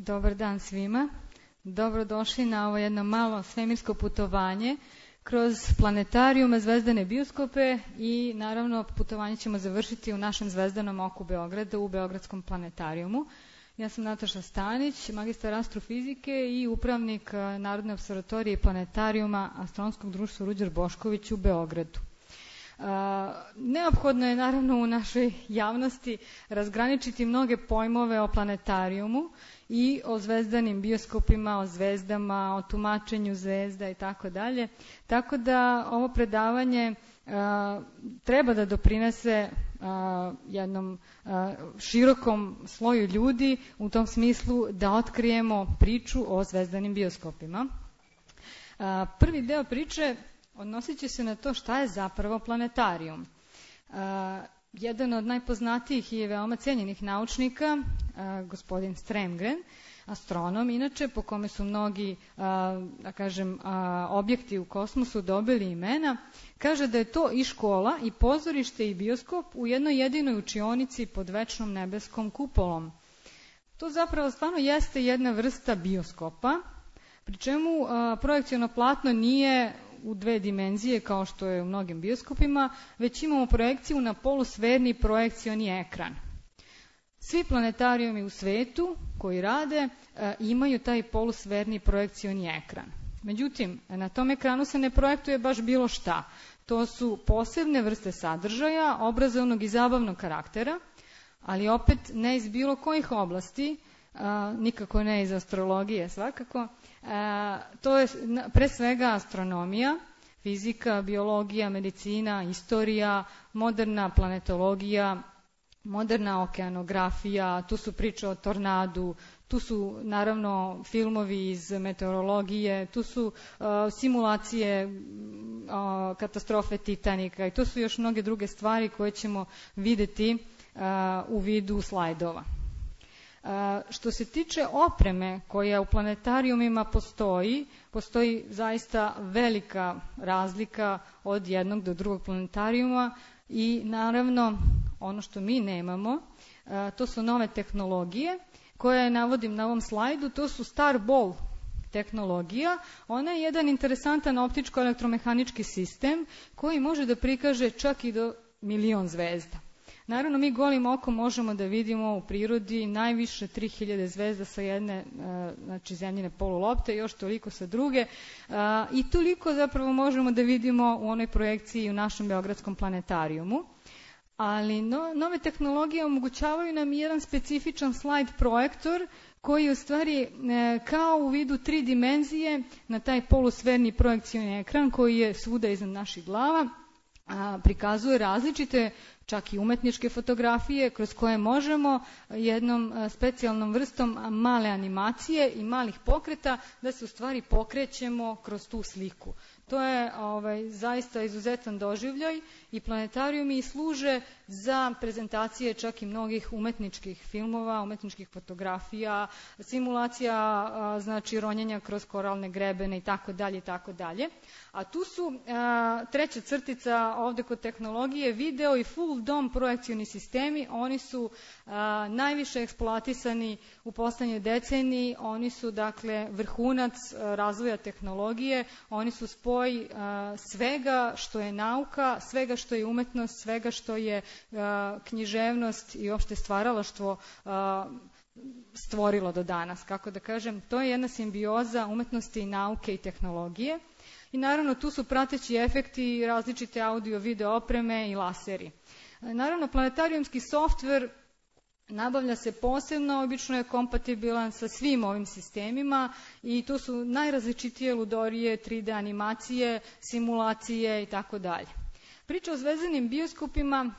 Dobar dan svima. Dobrodošli na ovo jedno malo svemirsko putovanje kroz planetarijume, zvezdane bioskope i naravno putovanje ćemo završiti u našem zvezdanom oku Beograda u Beogradskom planetarijumu. Ja sam Nataša Stanić, magistar astrofizike i upravnik Narodne observatorije i planetarijuma Astronomskog društva Ruđer Bošković u Beogradu. Neophodno je naravno u našoj javnosti razgraničiti mnoge pojmove o planetarijumu i o zvezdanim bioskopima, o zvezdama, o tumačenju zvezda i tako dalje. Tako da ovo predavanje treba da doprinese jednom širokom sloju ljudi u tom smislu da otkrijemo priču o zvezdanim bioskopima. Prvi deo priče odnosit će se na to šta je zapravo planetarijum. Jedan od najpoznatijih i veoma cijenjenih naučnika, gospodin Strömgren, astronom, inače po kome su mnogi, da kažem, objekti u kosmosu dobili imena, kaže da je to i škola, i pozorište, i bioskop u jednoj jedinoj učionici pod večnom nebeskom kupolom. To zapravo stvarno jeste jedna vrsta bioskopa, pri čemu projekciono platno nije u dve dimenzije kao što je u mnogim bioskopima, već imamo projekciju na polusferni projekcioni ekran. Svi planetarijumi u svetu koji rade imaju taj polusferni projekcioni ekran. Međutim, na tom ekranu se ne projektuje baš bilo šta. To su posebne vrste sadržaja, obrazovnog i zabavnog karaktera, ali opet ne iz bilo kojih oblasti, nikako ne iz astrologije svakako. To je pre svega astronomija, fizika, biologija, medicina, istorija, moderna planetologija, moderna okeanografija, tu su priče o tornadu, tu su naravno filmovi iz meteorologije, tu su simulacije katastrofe Titanika i to su još mnoge druge stvari koje ćemo videti u vidu slajdova. Što se tiče opreme koja u planetarijumima postoji zaista velika razlika od jednog do drugog planetarijuma i naravno ono što mi nemamo, to su nove tehnologije koje navodim na ovom slajdu, to su Starball tehnologija. Ona je jedan interesantan optičko-elektromehanički sistem koji može da prikaže čak i do 1.000.000 zvezda. Naravno, mi golim okom možemo da vidimo u prirodi najviše 3000 zvezda sa jedne, znači zemljine polulopte, još toliko sa druge i toliko zapravo možemo da vidimo u onoj projekciji u našem Beogradskom planetarijumu. Ali nove tehnologije omogućavaju nam jedan specifičan slide projektor koji u stvari kao u vidu 3 dimenzije na taj polusferni projekcioni ekran koji je svuda iznad naših glava prikazuje različite čak i umetničke fotografije kroz koje možemo jednom specijalnom vrstom male animacije i malih pokreta da se u stvari pokrećemo kroz tu sliku. To je zaista izuzetan doživljaj i planetarijumi služe za prezentacije čak i mnogih umetničkih filmova, umetničkih fotografija, simulacija znači ronjenja kroz koralne grebene i tako dalje i tako dalje. A tu su treća crtica ovde kod tehnologije, video i full dome projekcioni sistemi. Oni su najviše eksploatisani u poslednjoj deceniji. Oni su dakle vrhunac razvoja tehnologije. Oni su spoj svega što je nauka, svega što je umetnost, svega što je književnost i uopšte stvaralaštvo stvorilo do danas. Kako da kažem, to je jedna simbioza umetnosti i nauke i tehnologije. I naravno tu su prateći efekti, različite audio, video opreme i laseri. Naravno, planetarijumski softver nabavlja se posebno, obično je kompatibilan sa svim ovim sistemima i to su najrazličitije ludorije, 3D animacije, simulacije i tako dalje. Priča o zvezdanim bioskopima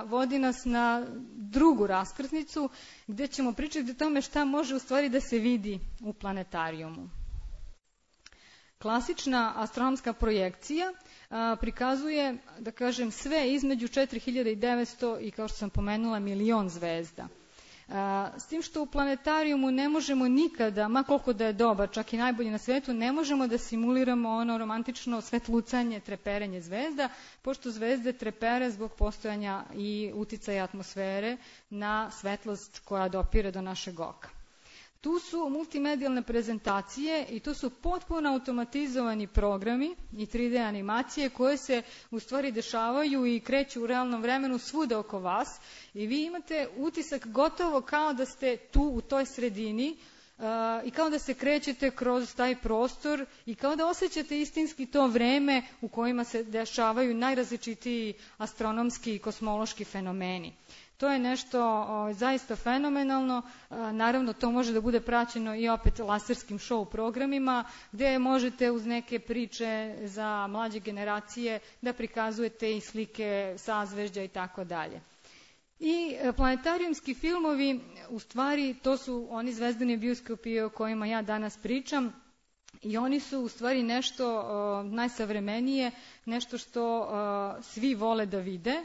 vodi nas na drugu raskrsnicu gde ćemo pričati o tome šta može u stvari da se vidi u planetarijumu. Klasična astronomska projekcija prikazuje, da kažem, sve između 4900 i, kao što sam pomenula, 1.000.000 zvezda. S tim što u planetarijumu ne možemo nikada, ma koliko da je dobar, čak i najbolji na svetu, ne možemo da simuliramo ono romantično svetlucanje, treperenje zvezda, pošto zvezde trepere zbog postojanja i uticaja atmosfere na svetlost koja dopire do našeg oka. Tu su multimedijalne prezentacije i tu su potpuno automatizovani programi i 3D animacije koje se u stvari dešavaju i kreću u realnom vremenu svuda oko vas i vi imate utisak gotovo kao da ste tu u toj sredini i kao da se krećete kroz taj prostor i kao da osjećate istinski to vreme u kojima se dešavaju najrazličitiji astronomski i kosmološki fenomeni. To je nešto zaista fenomenalno, naravno to može da bude praćeno i opet laserskim show programima gdje možete uz neke priče za mlađe generacije da prikazujete i slike sazvežđa i tako dalje. I planetarijumski filmovi, u stvari to su oni zvezdani bioskopi o kojima ja danas pričam i oni su u stvari nešto najsavremenije, nešto što svi vole da vide.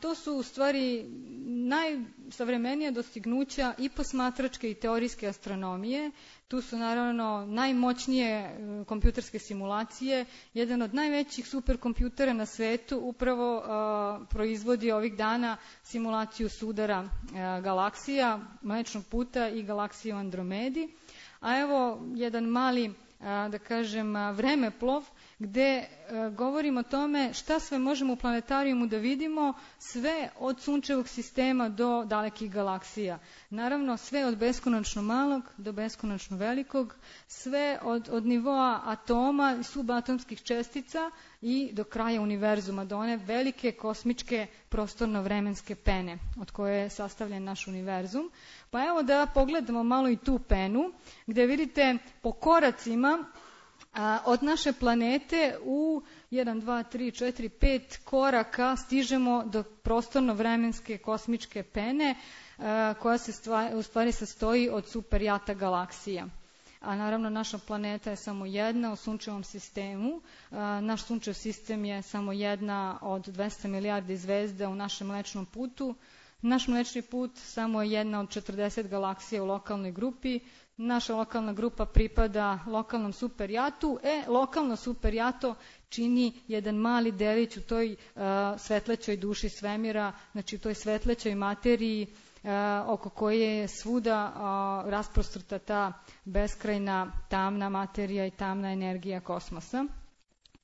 To su u stvari najsavremenija dostignuća i posmatračke i teorijske astronomije. Tu su naravno najmoćnije kompjuterske simulacije. Jedan od najvećih superkompjutera na svetu upravo proizvodi ovih dana simulaciju sudara galaksija, Mlečnog puta i galaksije u Andromedi. A evo jedan mali, da kažem, vremeplov gde govorimo o tome šta sve možemo u planetarijumu da vidimo, sve od sunčevog sistema do dalekih galaksija. Naravno, sve od beskonačno malog do beskonačno velikog, sve od nivoa atoma i subatomskih čestica i do kraja univerzuma, do one velike kosmičke prostorno-vremenske pene od koje je sastavljen naš univerzum. Pa evo da pogledamo malo i tu penu, gde vidite po koracima od naše planete u 1, 2, 3, 4, 5 koraka stižemo do prostorno-vremenske kosmičke pene koja se u stvari sastoji od superjata galaksija. A naravno naša planeta je samo jedna u sunčevom sistemu. Naš sunčev sistem je samo jedna od 200 milijardi zvezda u našem Mlečnom putu. Naš Mlečni put samo je jedna od 40 galaksija u lokalnoj grupi. Naša lokalna grupa pripada lokalnom superjatu. Lokalno superjato čini jedan mali delić u toj svetlećoj duši svemira, znači u toj svetlećoj materiji oko koje je svuda rasprostrta ta beskrajna tamna materija i tamna energija kosmosa.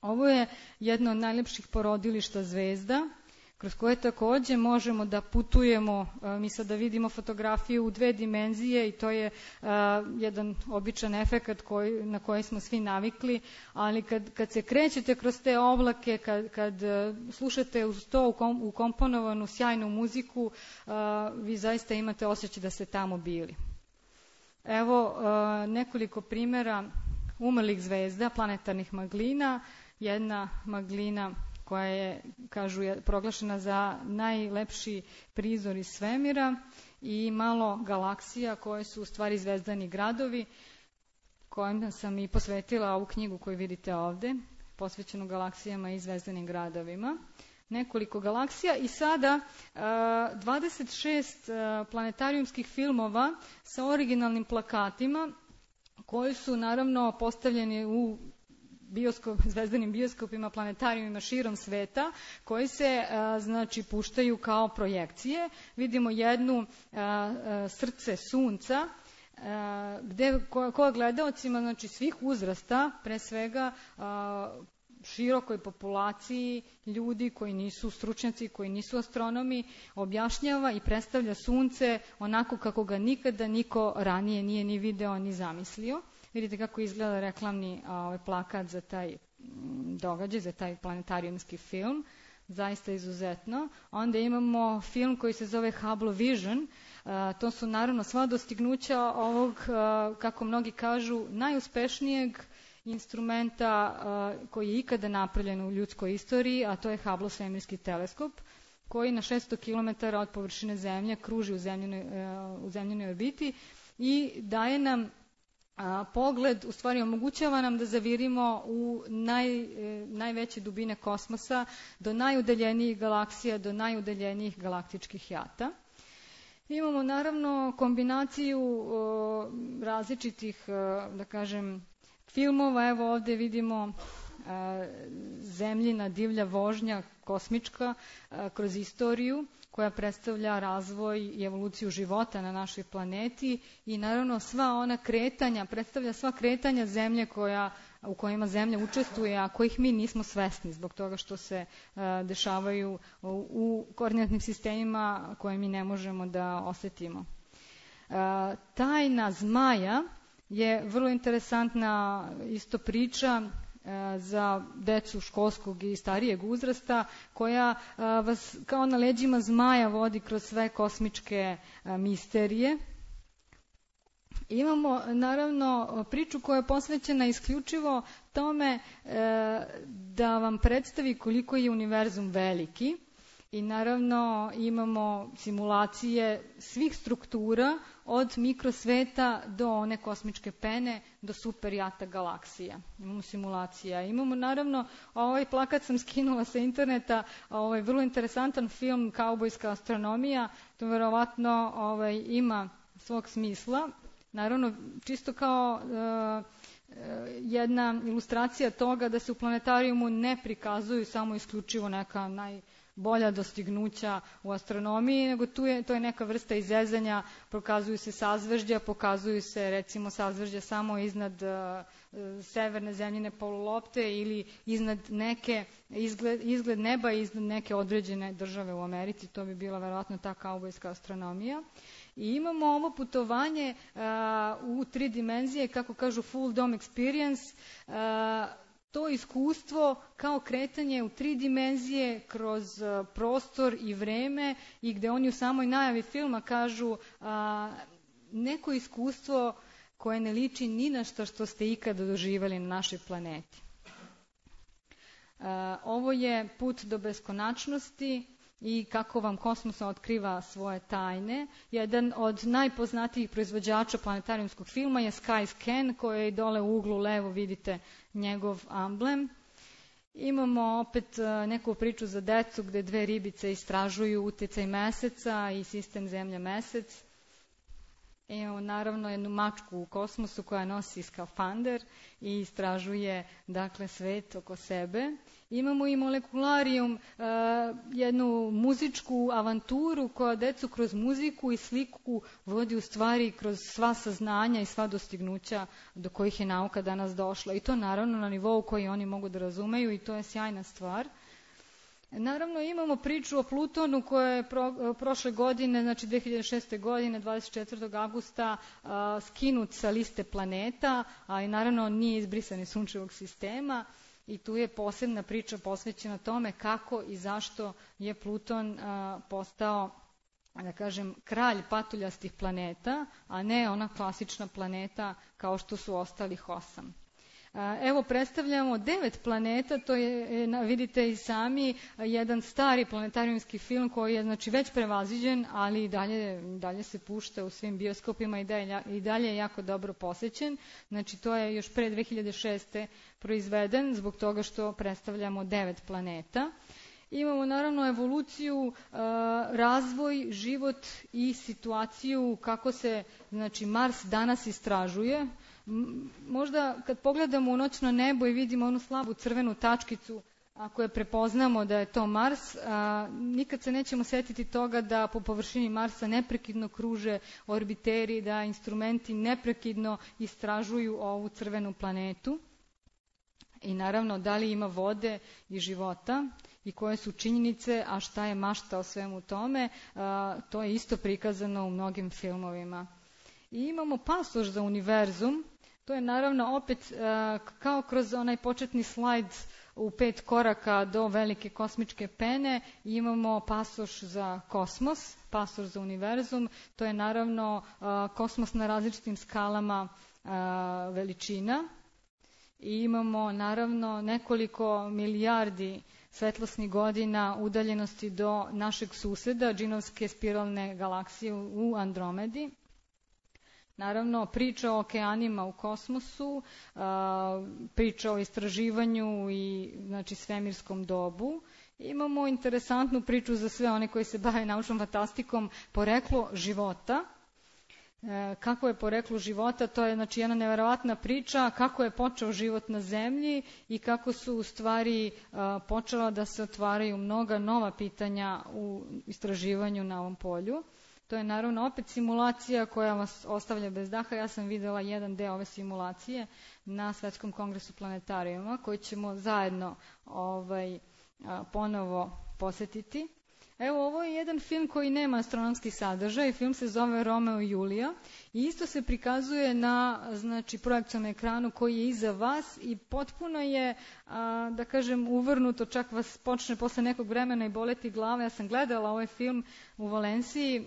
Ovo je jedno od najlepših porodilišta zvezda, kroz koje takođe možemo da putujemo. Mi sada vidimo fotografiju u 2 dimenzije i to je jedan običan efekat na koji smo svi navikli, ali kad se krećete kroz te oblake, kad slušate uz to ukomponovanu sjajnu muziku, vi zaista imate osjećaj da ste tamo bili. Evo nekoliko primjera umrlih zvezda, planetarnih maglina. Jedna maglina koja je, kažu, proglašena za najlepši prizor iz svemira i malo galaksija koje su u stvari zvezdani gradovi, kojim sam i posvetila ovu knjigu koju vidite ovde, posvećenu galaksijama i zvezdanim gradovima. Nekoliko galaksija i sada 26 planetarijumskih filmova sa originalnim plakatima koji su naravno postavljeni u zvezdanim bioskopima, planetarijumima širom sveta, koji se znači puštaju kao projekcije. Vidimo jednu srce sunca, koja gledaocima, znači svih uzrasta, pre svega širokoj populaciji ljudi koji nisu stručnjaci, koji nisu astronomi, objašnjava i predstavlja sunce onako kako ga nikada niko ranije nije ni video ni zamislio. Vidite kako izgleda reklamni plakat za taj događaj, za taj planetarijumski film. Zaista izuzetno. Onda imamo film koji se zove Hubble Vision. To su naravno sva dostignuća ovog, kako mnogi kažu, najuspešnijeg instrumenta koji je ikada napravljen u ljudskoj istoriji, a to je Hubble svemirski teleskop, koji na 600 km od površine Zemlje kruži u zemljenoj orbiti i daje nam pogled, u stvari omogućava nam da zavirimo u najveće dubine kosmosa, do najudaljenijih galaksija, do najudaljenijih galaktičkih jata. Imamo naravno kombinaciju različitih, da kažem, filmova. Evo ovde vidimo Zemljina divlja vožnja kosmička kroz istoriju, koja predstavlja razvoj i evoluciju života na našoj planeti i naravno sva ona kretanja, predstavlja sva kretanja Zemlje u kojima Zemlja učestvuje, a kojih mi nismo svesni zbog toga što se dešavaju u koordinatnim sistemima koje mi ne možemo da osetimo. Tajna zmaja je vrlo interesantna isto priča za decu školskog i starijeg uzrasta, koja vas kao na leđima zmaja vodi kroz sve kosmičke misterije. Imamo naravno priču koja je posvećena isključivo tome da vam predstavi koliko je univerzum veliki i naravno imamo simulacije svih struktura od mikrosveta do one kosmičke pene do superjata galaksija. Imamo simulacija. Imamo naravno, ovaj plakat sam skinula sa interneta, vrlo interesantan film Kaubojska astronomija, to verovatno ima svog smisla. Naravno, čisto kao jedna ilustracija toga da se u planetarijumu ne prikazuju samo isključivo neka najbolja dostignuća u astronomiji, nego to je neka vrsta izezanja, pokazuju se sazvežđa, pokazuju se recimo sazvežđa samo iznad severne zemljine polulopte ili iznad neke izgled neba iznad neke određene države u Americi, to bi bila verovatno ta kaubojska astronomija. I imamo ovo putovanje u 3 dimenzije, kako kažu full dome experience, to iskustvo kao kretanje u 3 dimenzije kroz prostor i vreme i gde oni u samoj najavi filma kažu neko iskustvo koje ne liči ni na što ste ikada doživjeli na našoj planeti. Ovo je put do beskonačnosti i kako vam kosmos otkriva svoje tajne. Jedan od najpoznatijih proizvođača planetarijumskog filma je Skyscan, koji je dole u uglu levo, vidite njegov amblem. Imamo opet neku priču za decu gde 2 ribice istražuju uticaj meseca i sistem Zemlja-Mesec. Imamo naravno jednu mačku u kosmosu koja nosi skafander i istražuje dakle svet oko sebe. Imamo i molekularijum, jednu muzičku avanturu koja decu kroz muziku i sliku vodi u stvari kroz sva saznanja i sva dostignuća do kojih je nauka danas došla. I to naravno na nivou koji oni mogu da razumeju i to je sjajna stvar. Naravno imamo priču o Plutonu koja je prošle godine, znači 2006. godine, 24. augusta, skinut sa liste planeta, ali naravno nije izbrisan iz sunčevog sistema i tu je posebna priča posvećena tome kako i zašto je Pluton postao, da kažem, kralj patuljastih planeta, a ne ona klasična planeta kao što su ostalih 8. Evo predstavljamo 9 planeta, to je, vidite i sami, jedan stari planetarijumski film koji je znači već prevaziđen, ali i dalje se pušta u svim bioskopima i dalje je jako dobro posećen. Znači to je još pre 2006. proizveden zbog toga što predstavljamo 9 planeta. Imamo naravno evoluciju, razvoj, život i situaciju kako se znači Mars danas istražuje. Možda kad pogledamo u noćno nebo i vidimo onu slabu crvenu tačkicu, ako je prepoznamo da je to Mars, nikad se nećemo setiti toga da po površini Marsa neprekidno kruže orbiteri, da instrumenti neprekidno istražuju ovu crvenu planetu. I naravno da li ima vode i života i koje su činjenice, a šta je mašta o svemu tome, to je isto prikazano u mnogim filmovima. I imamo pasoš za univerzum. To je naravno opet kao kroz onaj početni slajd u 5 koraka do velike kosmičke pene. Imamo pasoš za kosmos, pasoš za univerzum. To je naravno kosmos na različitim skalama veličina. I imamo naravno nekoliko milijardi svetlosnih godina udaljenosti do našeg suseda, džinovske spiralne galaksije u Andromedi. Naravno, priča o okeanima u kosmosu, priča o istraživanju i znači, svemirskom dobu. Imamo interesantnu priču za sve one koji se bave naučnom fantastikom, poreklo života. kako je poreklo života. To je znači jedna neverovatna priča kako je počeo život na zemlji i kako su u stvari počela da se otvaraju mnoga nova pitanja u istraživanju na ovom polju. To je naravno opet simulacija koja vas ostavlja bez daha. Ja sam videla jedan deo ove simulacije na Svetskom kongresu planetarijuma koji ćemo zajedno ponovo posjetiti. Evo, ovo je jedan film koji nema astronomski sadržaj. Film se zove Romeo i Julija i isto se prikazuje na projekcionom ekranu koji je iza vas i potpuno je, da kažem, uvrnuto, čak vas počne posle nekog vremena i boleti glava. Ja sam gledala ovaj film u Valenciji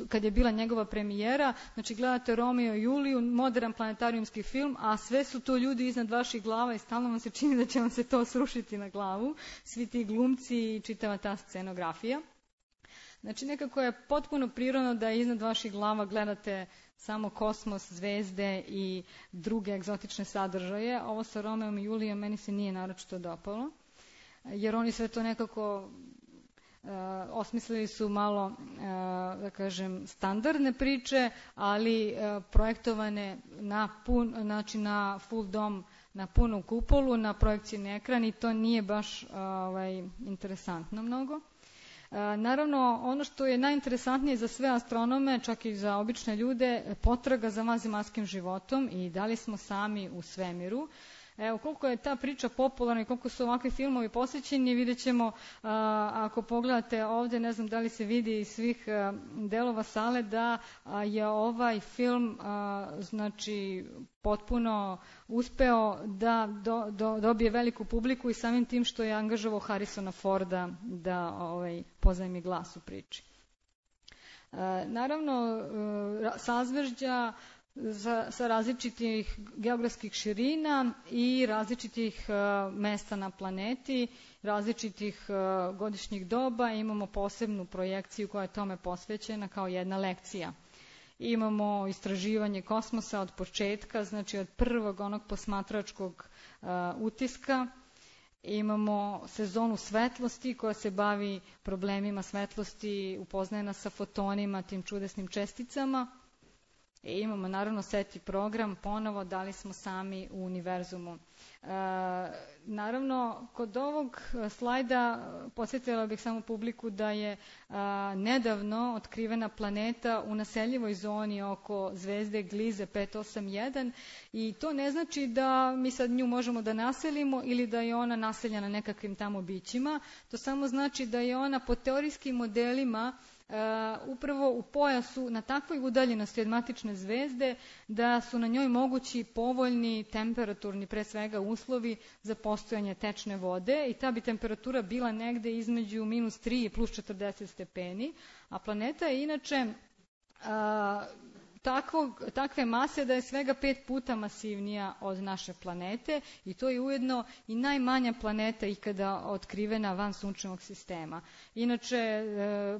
kad je bila njegova premijera. Znači, gledate Romeo i Juliju, modern planetarijumski film, a sve su to ljudi iznad vaših glava i stalno vam se čini da će vam se to srušiti na glavu. Svi ti glumci i čitava ta scenografija. Znači, nekako je potpuno prirodno da iznad vaših glava gledate samo kosmos, zvezde i druge egzotične sadržaje. Ovo sa Romeom i Julijom meni se nije naročito dopalo, jer oni sve to nekako osmislili su malo, da kažem, standardne priče, ali projektovane na full dom, na punu kupolu, na projekcijni ekran i to nije baš interesantno mnogo. Naravno, ono što je najinteresantnije za sve astronome, čak i za obične ljude, potraga za vanzemaljskim životom i da li smo sami u svemiru. Evo, koliko je ta priča popularna i koliko su ovakvi filmovi posjećeni, vidjet ćemo ako pogledate ovdje, ne znam da li se vidi iz svih delova sale, da je ovaj film znači potpuno uspeo da dobije veliku publiku i samim tim što je angažovao Harrisona Forda da pozajmi glas u priči. Naravno, sazvežđa sa različitih geografskih širina i različitih mesta na planeti, različitih godišnjih doba. Imamo posebnu projekciju koja je tome posvećena kao jedna lekcija. Imamo istraživanje kosmosa od početka, znači od prvog onog posmatračkog utiska. Imamo sezonu svetlosti koja se bavi problemima svetlosti, upoznaje nas sa fotonima, tim čudesnim česticama. I imamo naravno SETI program, ponovo da li smo sami u univerzumu. Naravno, kod ovog slajda podsjetila bih samo publiku da je nedavno otkrivena planeta u naseljivoj zoni oko zvezde Gliese 581 i to ne znači da mi sad nju možemo da naselimo ili da je ona naseljena nekakvim tamo bićima. To samo znači da je ona po teorijskim modelima upravo u pojasu na takvoj udaljenosti od matične zvezde da su na njoj mogući povoljni temperaturni, pre svega, uslovi za postojanje tečne vode i ta bi temperatura bila negde između -3 i +40 stepeni, a planeta je inače takve mase da je svega 5 puta masivnija od naše planete i to je ujedno i najmanja planeta ikada otkrivena van sunčevog sistema. Inače,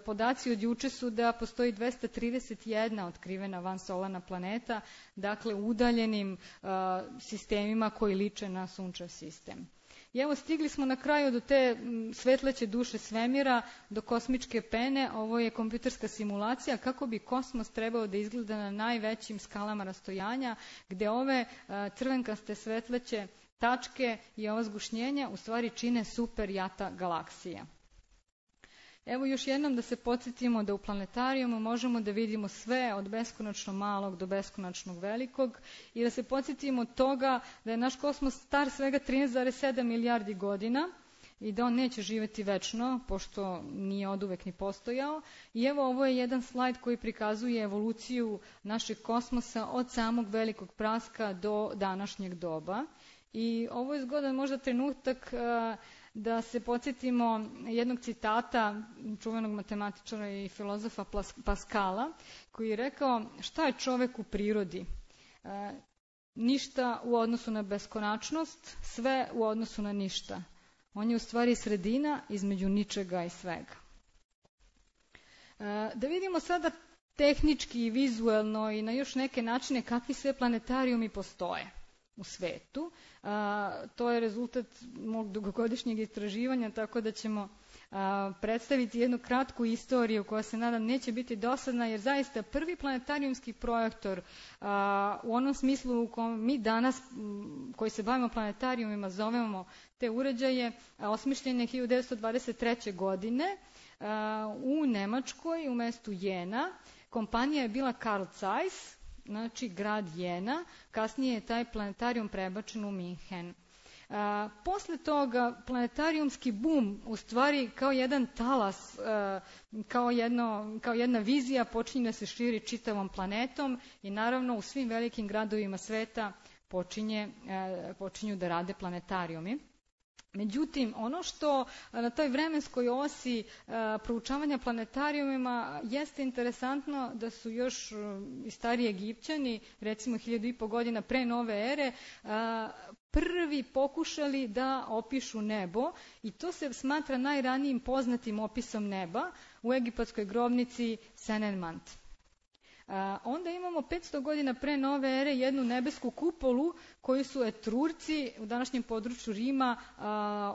podaci od juče su da postoji 231 otkrivena vansolarna planeta, dakle u udaljenim sistemima koji liče na sunčev sistem. I evo, stigli smo na kraju do te svetleće duše svemira, do kosmičke pene. Ovo je kompjuterska simulacija kako bi kosmos trebao da izgleda na najvećim skalama rastojanja, gde ove crvenkaste svetleće tačke i ova zgušnjenja u stvari čine super jata galaksija. Evo još jednom da se podsjetimo da u planetarijumu možemo da vidimo sve od beskonačno malog do beskonačnog velikog i da se podsjetimo toga da je naš kosmos star svega 13,7 milijardi godina i da on neće živjeti večno, pošto nije oduvek ni postojao. I evo, ovo je jedan slajd koji prikazuje evoluciju našeg kosmosa od samog velikog praska do današnjeg doba. I ovo je zgodan možda trenutak da se podsjetimo jednog citata čuvenog matematičara i filozofa Paskala, koji je rekao: šta je čovek u prirodi? Ništa u odnosu na beskonačnost, sve u odnosu na ništa. On je u stvari sredina između ničega i svega. Da vidimo sada tehnički i vizuelno i na još neke načine kakvi sve planetarijumi postoje u svetu. To je rezultat mog dugogodišnjeg istraživanja, tako da ćemo predstaviti jednu kratku istoriju koja se nadam neće biti dosadna, jer zaista prvi planetarijumski projektor u onom smislu u kojem mi danas koji se bavimo planetarijumima zovemo te uređaje, osmišljen je 1923. godine u Nemačkoj, u mestu Jena. Kompanija je bila Carl Zeiss, znači grad Jena. Kasnije je taj planetarijum prebačen u Minhen. Posle toga planetarijumski bum, u stvari kao jedan talas, kao jedna vizija počinje da se širi čitavom planetom i naravno u svim velikim gradovima sveta počinju da rade planetarijumi. Međutim, ono što na toj vremenskoj osi proučavanja planetarijumima jeste interesantno da su još i stari Egipćani, recimo 1500 godina pre nove ere, prvi pokušali da opišu nebo i to se smatra najranijim poznatim opisom neba u egipatskoj grobnici Senenmant. Onda imamo 500 godina pre nove ere jednu nebesku kupolu koju su Etrurci u današnjem području Rima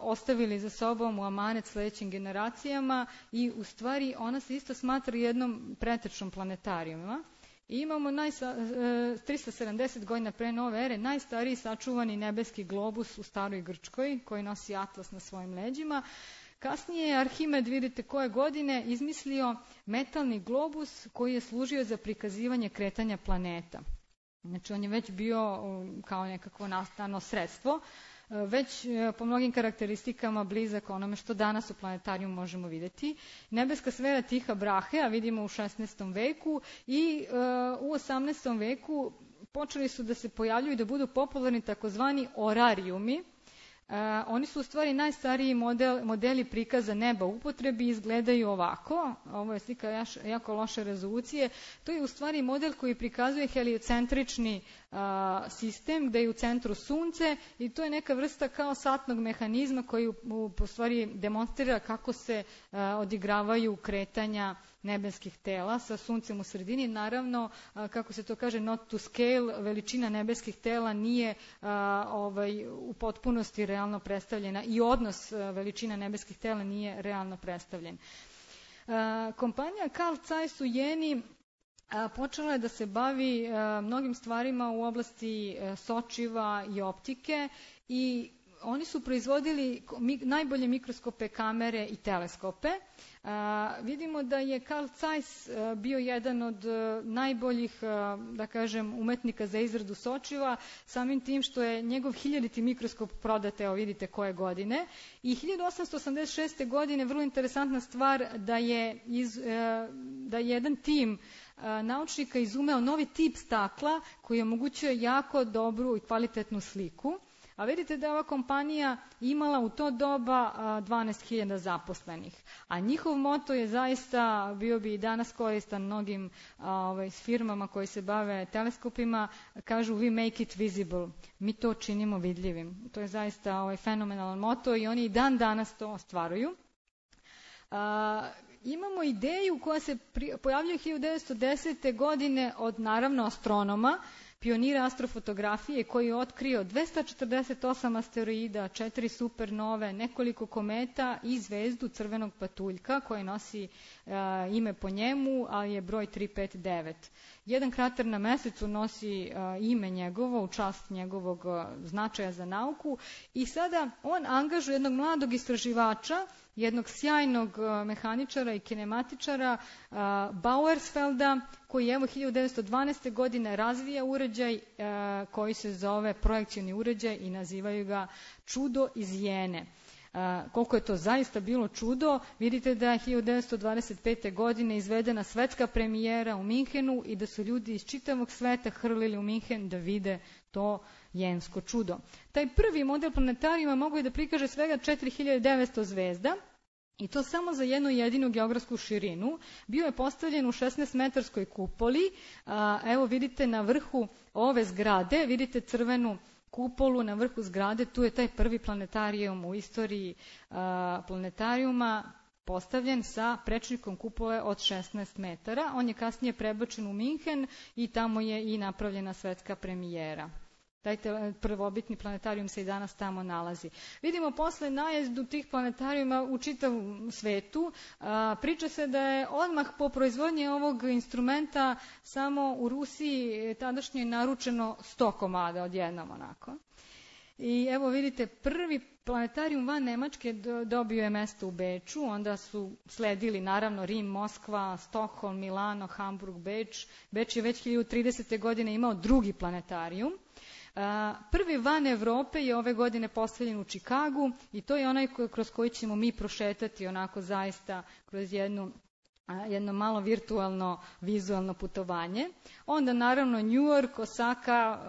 ostavili za sobom u amanet sledećim generacijama i u stvari ona se isto smatra jednom pretečnom planetarijuma. I imamo 370 godina pre nove ere najstariji sačuvani nebeski globus u staroj Grčkoj koji nosi atlas na svojim leđima. Kasnije je Arhimed, vidite koje godine, izmislio metalni globus koji je služio za prikazivanje kretanja planeta. Znači on je već bio kao nekakvo nastavno sredstvo, već po mnogim karakteristikama blizak onome što danas u planetariju možemo vidjeti. Nebeska sfera Tiha Brahe, a vidimo u 16. veku i u 18. veku počeli su da se pojavljuju i da budu popularni takozvani orarijumi. Oni su u stvari najstariji modeli prikaza neba u upotrebi, izgledaju ovako. Ovo je slika jako loše rezolucije. To je u stvari model koji prikazuje heliocentrični sistem gde je u centru sunce i to je neka vrsta kao satnog mehanizma koji u stvari demonstrira kako se odigravaju kretanja nebeskih tela sa suncem u sredini. Naravno, kako se to kaže, not to scale, veličina nebeskih tela nije u potpunosti realno predstavljena i odnos veličina nebeskih tela nije realno predstavljen. Kompanija Carl Zeiss u Jeni počela je da se bavi mnogim stvarima u oblasti sočiva i optike i oni su proizvodili najbolje mikroskope, kamere i teleskope. Vidimo da je Carl Zeiss bio jedan od najboljih, da kažem, umetnika za izradu sočiva, samim tim što je njegov 1000. mikroskop prodat, evo vidite koje godine. I 1886. godine, vrlo interesantna stvar, da je jedan tim naučnika izumeo novi tip stakla koji omogućuje jako dobru i kvalitetnu sliku. A vidite da je ova kompanija imala u to doba 12.000 zaposlenih. A njihov moto je zaista, bio bi i danas koristan mnogim firmama koji se bave teleskopima, kažu we make it visible, mi to činimo vidljivim. To je zaista fenomenalan moto i oni i dan danas to ostvaruju. Imamo ideju koja se pojavljuje 1910. godine od naravno astronoma, pionira astrofotografije koji je otkrio 248 asteroida, 4 supernove, nekoliko kometa i zvezdu crvenog patuljka koja nosi ime po njemu, ali je broj 359. Jedan krater na mesecu nosi ime njegovo u čast njegovog značaja za nauku i sada on angažuje jednog mladog istraživača, jednog sjajnog mehaničara i kinematičara Bauersfelda, koji evo 1912. godine razvija uređaj koji se zove projekcioni uređaj i nazivaju ga čudo iz Jene. Koliko je to zaista bilo čudo, vidite da je 1925. godine izvedena svetska premijera u Minhenu i da su ljudi iz čitavog sveta hrlili u Minhen da vide to jensko čudo. Taj prvi model planetarijuma mogu je da prikaže svega 4900 zvezda, i to samo za jednu jedinu geografsku širinu. Bio je postavljen u 16-metarskoj kupoli. Evo vidite na vrhu ove zgrade, vidite crvenu kupolu na vrhu zgrade, tu je taj prvi planetarijum u istoriji planetarijuma postavljen sa prečnikom kupole od 16 metara. On je kasnije prebačen u Minhen i tamo je i napravljena svetska premijera. Taj prvobitni planetarijum se i danas tamo nalazi. Vidimo posle najezdu tih planetarijuma u čitavom svetu. Priča se da je odmah po proizvodnji ovog instrumenta samo u Rusiji tadašnje naručeno 100 komada odjednom onako. I evo vidite, prvi planetarijum van Nemačke dobio je mesto u Beču, onda su sledili naravno Rim, Moskva, Stokholm, Milano, Hamburg, Beč. Beč je već 1030. godine imao drugi planetarijum. Prvi van Evrope je ove godine postavljen u Čikagu i to je onaj kroz koji ćemo mi prošetati onako zaista kroz jedno malo virtualno vizualno putovanje. Onda naravno New York, Osaka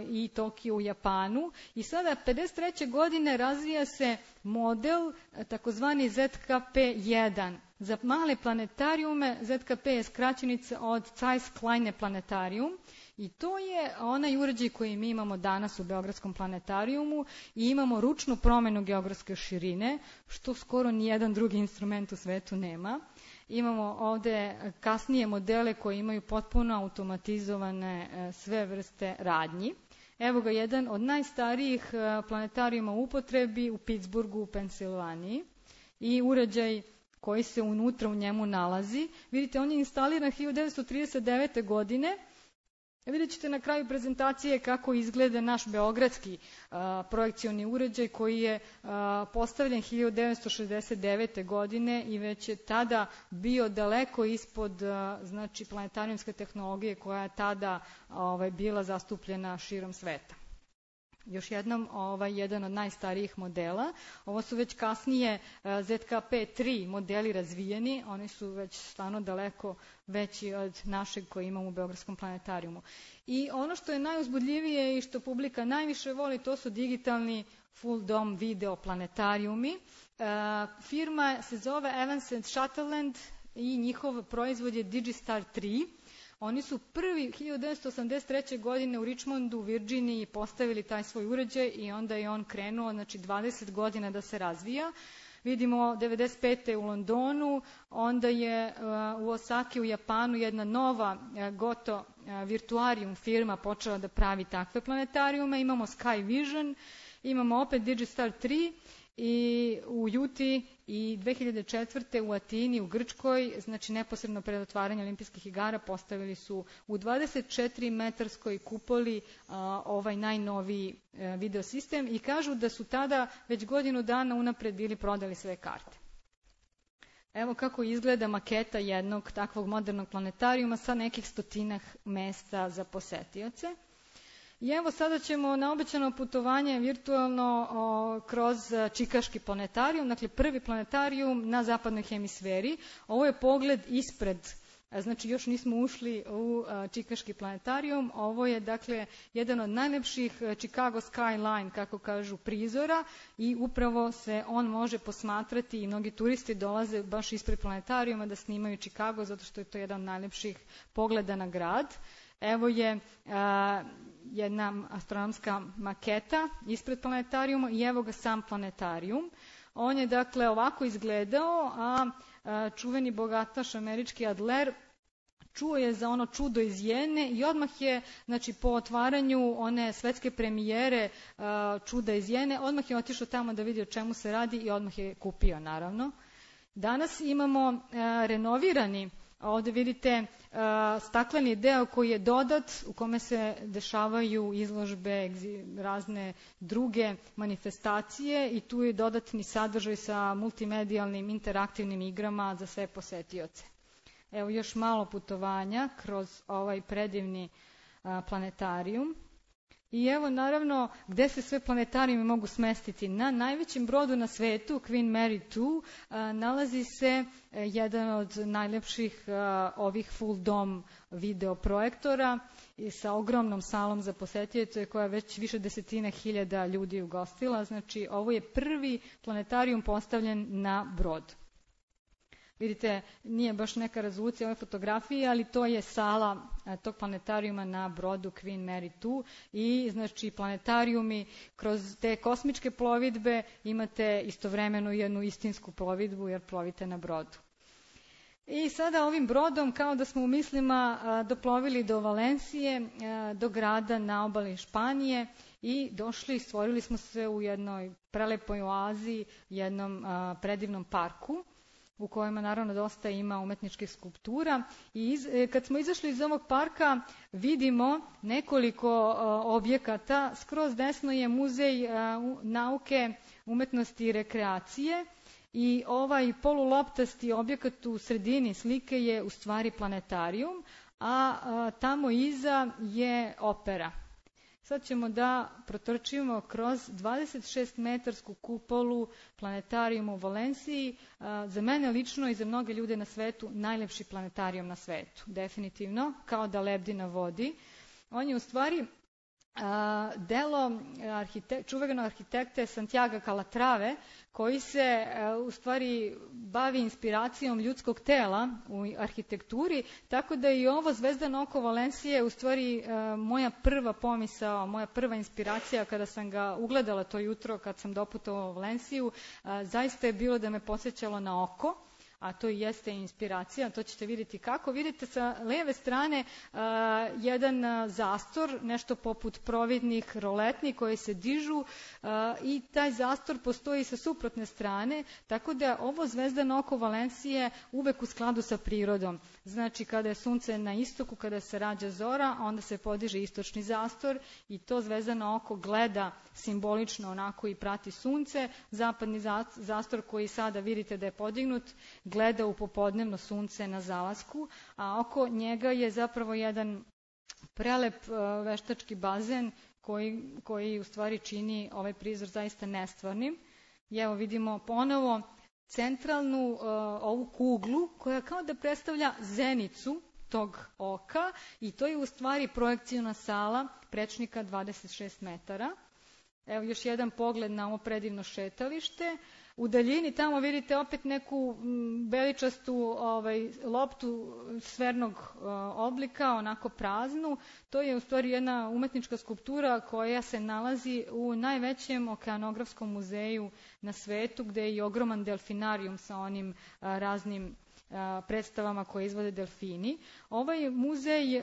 i Tokio u Japanu. I sada 53. godine razvija se model takozvani ZKP-1. Za male planetarijume ZKP je skraćenica od Zeiss Kleine Planetarium. I to je onaj uređaj koji mi imamo danas u Beogradskom planetarijumu i imamo ručnu promenu geografske širine, što skoro nijedan drugi instrument u svetu nema. Imamo ovde kasnije modele koji imaju potpuno automatizovane sve vrste radnji. Evo ga jedan od najstarijih planetarijuma u upotrebi u Pittsburghu u Pensilvaniji i uređaj koji se unutra u njemu nalazi. Vidite, on je instaliran 1939. godine. Vidjet ćete na kraju prezentacije kako izgleda naš beogradski projekcioni uređaj koji je postavljen 1969. godine i već je tada bio daleko ispod znači, planetarijumske tehnologije koja je tada bila zastupljena širom sveta. Još jednom, jedan od najstarijih modela. Ovo su već kasnije ZKP-3 modeli razvijeni, oni su već stvarno daleko veći od našeg koji imamo u Beogradskom planetarijumu. I ono što je najuzbudljivije i što publika najviše voli, to su digitalni full dome video planetarijumi. Firma se zove Evans & Sutherland i njihov proizvod je Digistar 3. Oni su prvi 1983. godine u Richmondu, u Virginiji, postavili taj svoj uređaj i onda je on krenuo, znači 20 godina da se razvija. Vidimo 95. u Londonu, onda je u Osaki u Japanu jedna nova Goto Virtuarium firma počela da pravi takve planetarijume. Imamo Sky Vision, imamo opet Digistar 3 i u Juti i 2004. u Atini u Grčkoj, znači neposredno pred otvaranje olimpijskih igara postavili su u 24 metarskoj kupoli ovaj najnoviji video sistem i kažu da su tada već godinu dana unapred bili prodali sve karte. Evo kako izgleda maketa jednog takvog modernog planetarijuma sa nekih stotinak mesta za posetioce. I evo sada ćemo na obećano putovanje virtualno kroz Čikaški planetarijum, dakle prvi planetarijum na zapadnoj hemisferi. Ovo je pogled ispred, znači još nismo ušli u Čikaški planetarijum. Ovo je dakle jedan od najlepših Chicago skyline, kako kažu, prizora i upravo se on može posmatrati i mnogi turisti dolaze baš ispred planetarijuma da snimaju Chicago zato što je to jedan od najlepših pogleda na grad. Evo je jedna astronomska maketa ispred planetarijuma i evo ga sam planetarijum. On je dakle ovako izgledao, a čuveni bogataš američki Adler čuo je za ono čudo iz Jene i odmah je, znači po otvaranju one svetske premijere čuda iz Jene, odmah je otišao tamo da vidi o čemu se radi i odmah je kupio naravno. Danas imamo renovirani, ovde vidite stakleni deo koji je dodat, u kome se dešavaju izložbe, razne druge manifestacije i tu je dodatni sadržaj sa multimedijalnim interaktivnim igrama za sve posetioce. Evo još malo putovanja kroz ovaj predivni planetarijum. I evo naravno gde se sve planetarijumi mogu smestiti. Na najvećem brodu na svetu, Queen Mary 2, nalazi se jedan od najlepših ovih full dome video projektora i sa ogromnom salom za posetioce koja već više desetina hiljada ljudi ugostila. Znači ovo je prvi planetarijum postavljen na brod. Vidite, nije baš neka rezolucija ove fotografije, ali to je sala tog planetarijuma na brodu Queen Mary 2 i znači planetarijumi kroz te kosmičke plovidbe imate istovremeno jednu istinsku plovidbu jer plovite na brodu. I sada ovim brodom, kao da smo u mislima doplovili do Valencije, do grada na obali Španije i došli, stvorili smo se u jednoj prelepoj oazi, jednom predivnom parku, u kojima naravno dosta ima umetničkih skulptura. I kad smo izašli iz ovog parka, vidimo nekoliko objekata. Skroz desno je Muzej nauke, umetnosti i rekreacije. I ovaj poluloptasti objekat u sredini slike je u stvari planetarijum, a tamo iza je opera. Sad ćemo da protrčimo kroz 26-metarsku kupolu planetarijuma u Valenciji. Za mene lično i za mnoge ljude na svetu najlepši planetarijum na svetu, definitivno, kao da lebdi na vodi. On je u stvari delo čuvenog arhitekte Santiaga Calatrave, koji se u stvari bavi inspiracijom ljudskog tela u arhitekturi, tako da i ovo Zvezdano oko Valencije u stvari moja prva pomisao, moja prva inspiracija kada sam ga ugledala to jutro kad sam doputovala u Valenciju, zaista je bilo da me podsjećalo na oko, a to i jeste inspiracija, to ćete vidjeti kako. Vidite sa leve strane jedan zastor, nešto poput providnih roletni koji se dižu i taj zastor postoji sa suprotne strane, tako da ovo Zvezdano oko Valencije uvek u skladu sa prirodom. Znači kada je sunce na istoku, kada se rađa zora, onda se podiže istočni zastor i to Zvezdano oko gleda simbolično onako i prati sunce. Zapadni zastor koji sada vidite da je podignut gleda u popodnevno sunce na zalasku, a oko njega je zapravo jedan prelep veštački bazen koji u stvari čini ovaj prizor zaista nestvarnim. I evo vidimo ponovo centralnu ovu kuglu koja kao da predstavlja zenicu tog oka i to je u stvari projekcijna sala prečnika 26 metara. Evo još jedan pogled na ovo predivno šetalište. U daljini tamo vidite opet neku beličastu loptu sfernog oblika, onako praznu. To je u stvari jedna umetnička skulptura koja se nalazi u najvećem okeanografskom muzeju na svetu, gde je i ogroman delfinarijum sa onim raznim predstavama koje izvode delfini. Ovaj muzej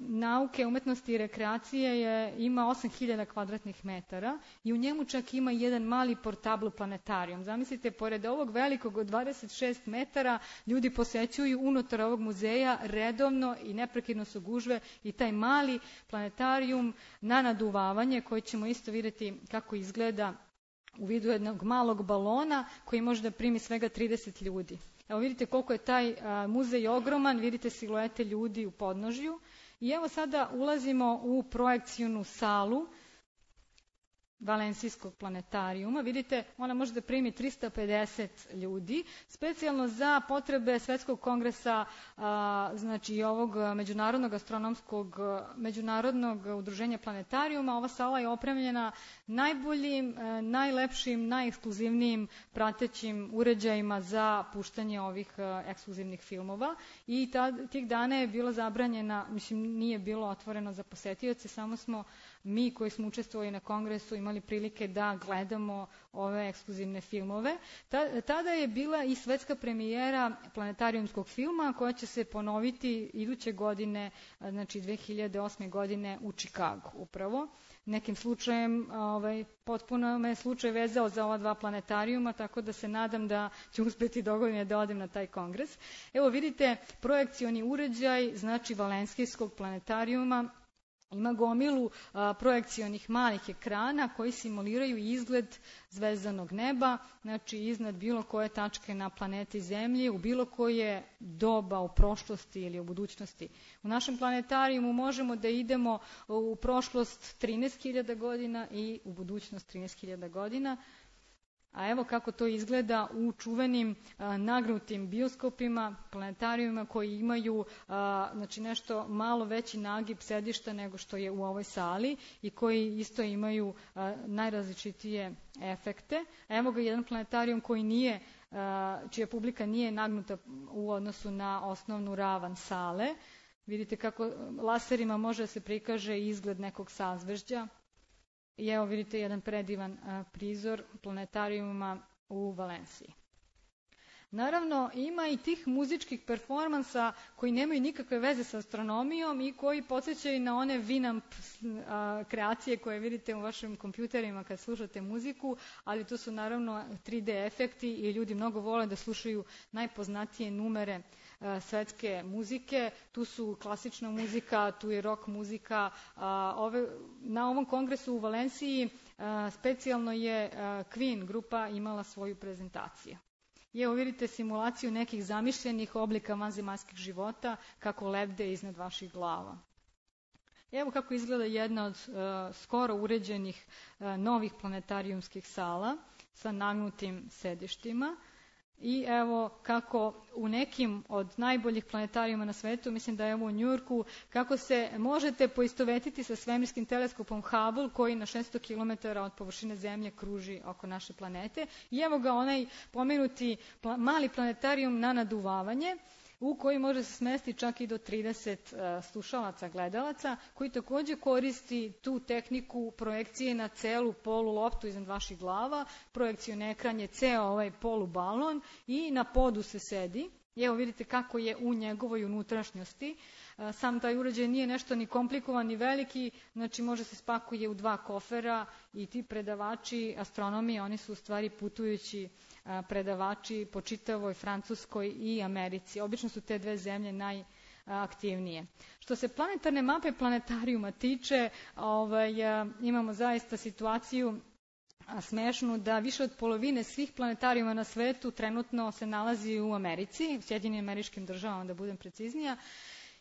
nauke, umetnosti i rekreacije ima 8000 kvadratnih metara i u njemu čak ima jedan mali portablo planetarijum. Zamislite, pored ovog velikog od 26 metara, ljudi posećuju unutar ovog muzeja redovno i neprekidno su gužve i taj mali planetarijum na naduvavanje koji ćemo isto vidjeti kako izgleda u vidu jednog malog balona koji može da primi svega 30 ljudi. Evo vidite koliko je taj muzej ogroman, vidite siluete ljudi u podnožju. I evo sada ulazimo u projekcijnu salu Valencijskog planetarijuma. Vidite, ona može da primi 350 ljudi, specijalno za potrebe Svetskog kongresa, znači i ovog međunarodnog udruženja planetarijuma. Ova sala je opremljena najboljim, najlepšim, najekskluzivnijim pratećim uređajima za puštanje ovih ekskluzivnih filmova. I tih dana je bilo zabranjena, mislim nije bilo otvoreno za posetioce, samo smo mi koji smo učestvovali na kongresu imali prilike da gledamo ove ekskluzivne filmove. Tada je bila i svetska premijera planetarijumskog filma koja će se ponoviti iduće godine, znači 2008. godine u Čikagu upravo. Nekim slučajem, potpuno me slučaj vezao za ova dva planetarijuma, tako da se nadam da ću uspjeti dogodine da odem na taj kongres. Evo vidite, projekcioni uređaj, znači Valencijskog planetarijuma, ima gomilu projekcionih malih ekrana koji simuliraju izgled zvezdanog neba, znači iznad bilo koje tačke na planeti Zemlji, u bilo koje doba u prošlosti ili u budućnosti. U našem planetarijumu možemo da idemo u prošlost 13.000 godina i u budućnost 13.000 godina. A evo kako to izgleda u čuvenim nagnutim bioskopima, planetarijuma koji imaju znači nešto malo veći nagib sedišta nego što je u ovoj sali i koji isto imaju najrazličitije efekte. Evo ga jedan planetarijum koji nije, čija publika nije nagnuta u odnosu na osnovnu ravan sale. Vidite kako laserima može da se prikaže izgled nekog sazvežđa. I evo vidite jedan predivan prizor planetarijuma u Valenciji. Naravno, ima i tih muzičkih performansa koji nemaju nikakve veze sa astronomijom i koji podsjećaju na one Winamp kreacije koje vidite u vašim kompjuterima kad slušate muziku, ali to su naravno 3D efekti i ljudi mnogo vole da slušaju najpoznatije numere svetske muzike. Tu su klasična muzika, tu je rock muzika. Na ovom kongresu u Valenciji specijalno je Queen grupa imala svoju prezentaciju. I evo vidite simulaciju nekih zamišljenih oblika vanzemaljskih života kako lebde iznad vaših glava. Evo kako izgleda jedna od skoro uređenih novih planetarijumskih sala sa nagnutim sedištima. I evo kako u nekim od najboljih planetarijuma na svetu, mislim da je u Njujorku, kako se možete poistovetiti sa svemirskim teleskopom Hubble koji na 600 km od površine Zemlje kruži oko naše planete. I evo ga onaj pomenuti mali planetarijum na naduvavanje, u koji može se smestiti čak i do 30 slušalaca, gledalaca, koji također koristi tu tehniku projekcije na celu polu loptu iznad vaših glava. Projekcijni ekran je ceo ovaj polubalon i na podu se sedi. I evo vidite kako je u njegovoj unutrašnjosti. Sam taj uređaj nije nešto ni komplikovan ni veliki, znači može se spakuje u 2 kofera i ti predavači astronomije, oni su u stvari putujući predavači po čitavoj Francuskoj i Americi. Obično su te 2 zemlje najaktivnije. Što se planetarne mape planetarijuma tiče, imamo zaista situaciju smešnu da više od polovine svih planetarijuma na svetu trenutno se nalazi u Americi, u Sjedinjenim Američkim Državama da budem preciznija,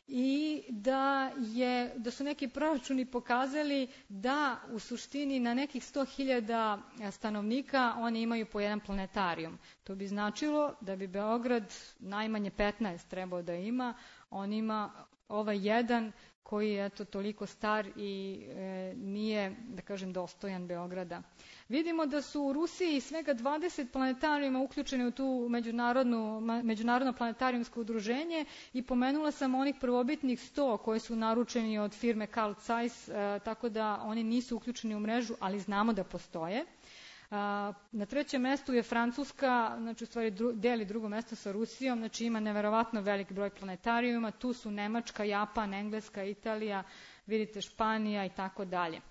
i da su neki proračuni pokazali da u suštini na nekih 100.000 stanovnika oni imaju po jedan planetarijum. To bi značilo da bi Beograd najmanje 15 trebao da ima, on ima ovaj jedan koji je toliko star i nije, da kažem, dostojan Beograda. Vidimo da su u Rusiji svega 20 planetarijuma uključeni u tu međunarodno planetarijumsko udruženje i pomenula sam onih prvobitnih 100 koji su naručeni od firme Carl Zeiss, tako da oni nisu uključeni u mrežu, ali znamo da postoje. Na 3. mestu je Francuska, znači u stvari deli 2. mesto sa Rusijom, znači ima neverovatno velik broj planetarijuma, tu su Nemačka, Japan, Engleska, Italija, vidite Španija i tako dalje.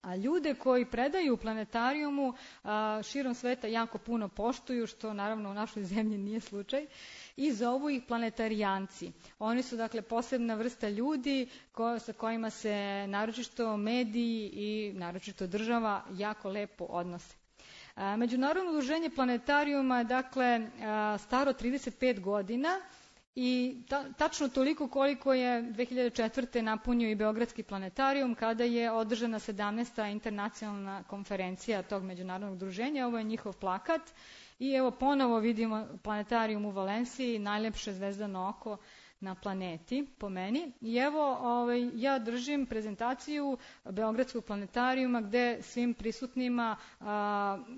A ljude koji predaju u planetarijumu širom sveta jako puno poštuju, što naravno u našoj zemlji nije slučaj, i zovu ih planetarijanci. Oni su dakle posebna vrsta ljudi sa kojima se naročito mediji i naročito država jako lepo odnose. Međunarodno udruženje planetarijuma je dakle staro 35 godina i tačno toliko koliko je 2004. napunio i Beogradski planetarijum kada je održana 17. internacionalna konferencija tog međunarodnog udruženja. Ovo je njihov plakat i evo ponovo vidimo planetarijum u Valenciji, najlepše zvezdano oko na planeti, po meni. I evo, ja držim prezentaciju Beogradskog planetarijuma gde svim prisutnima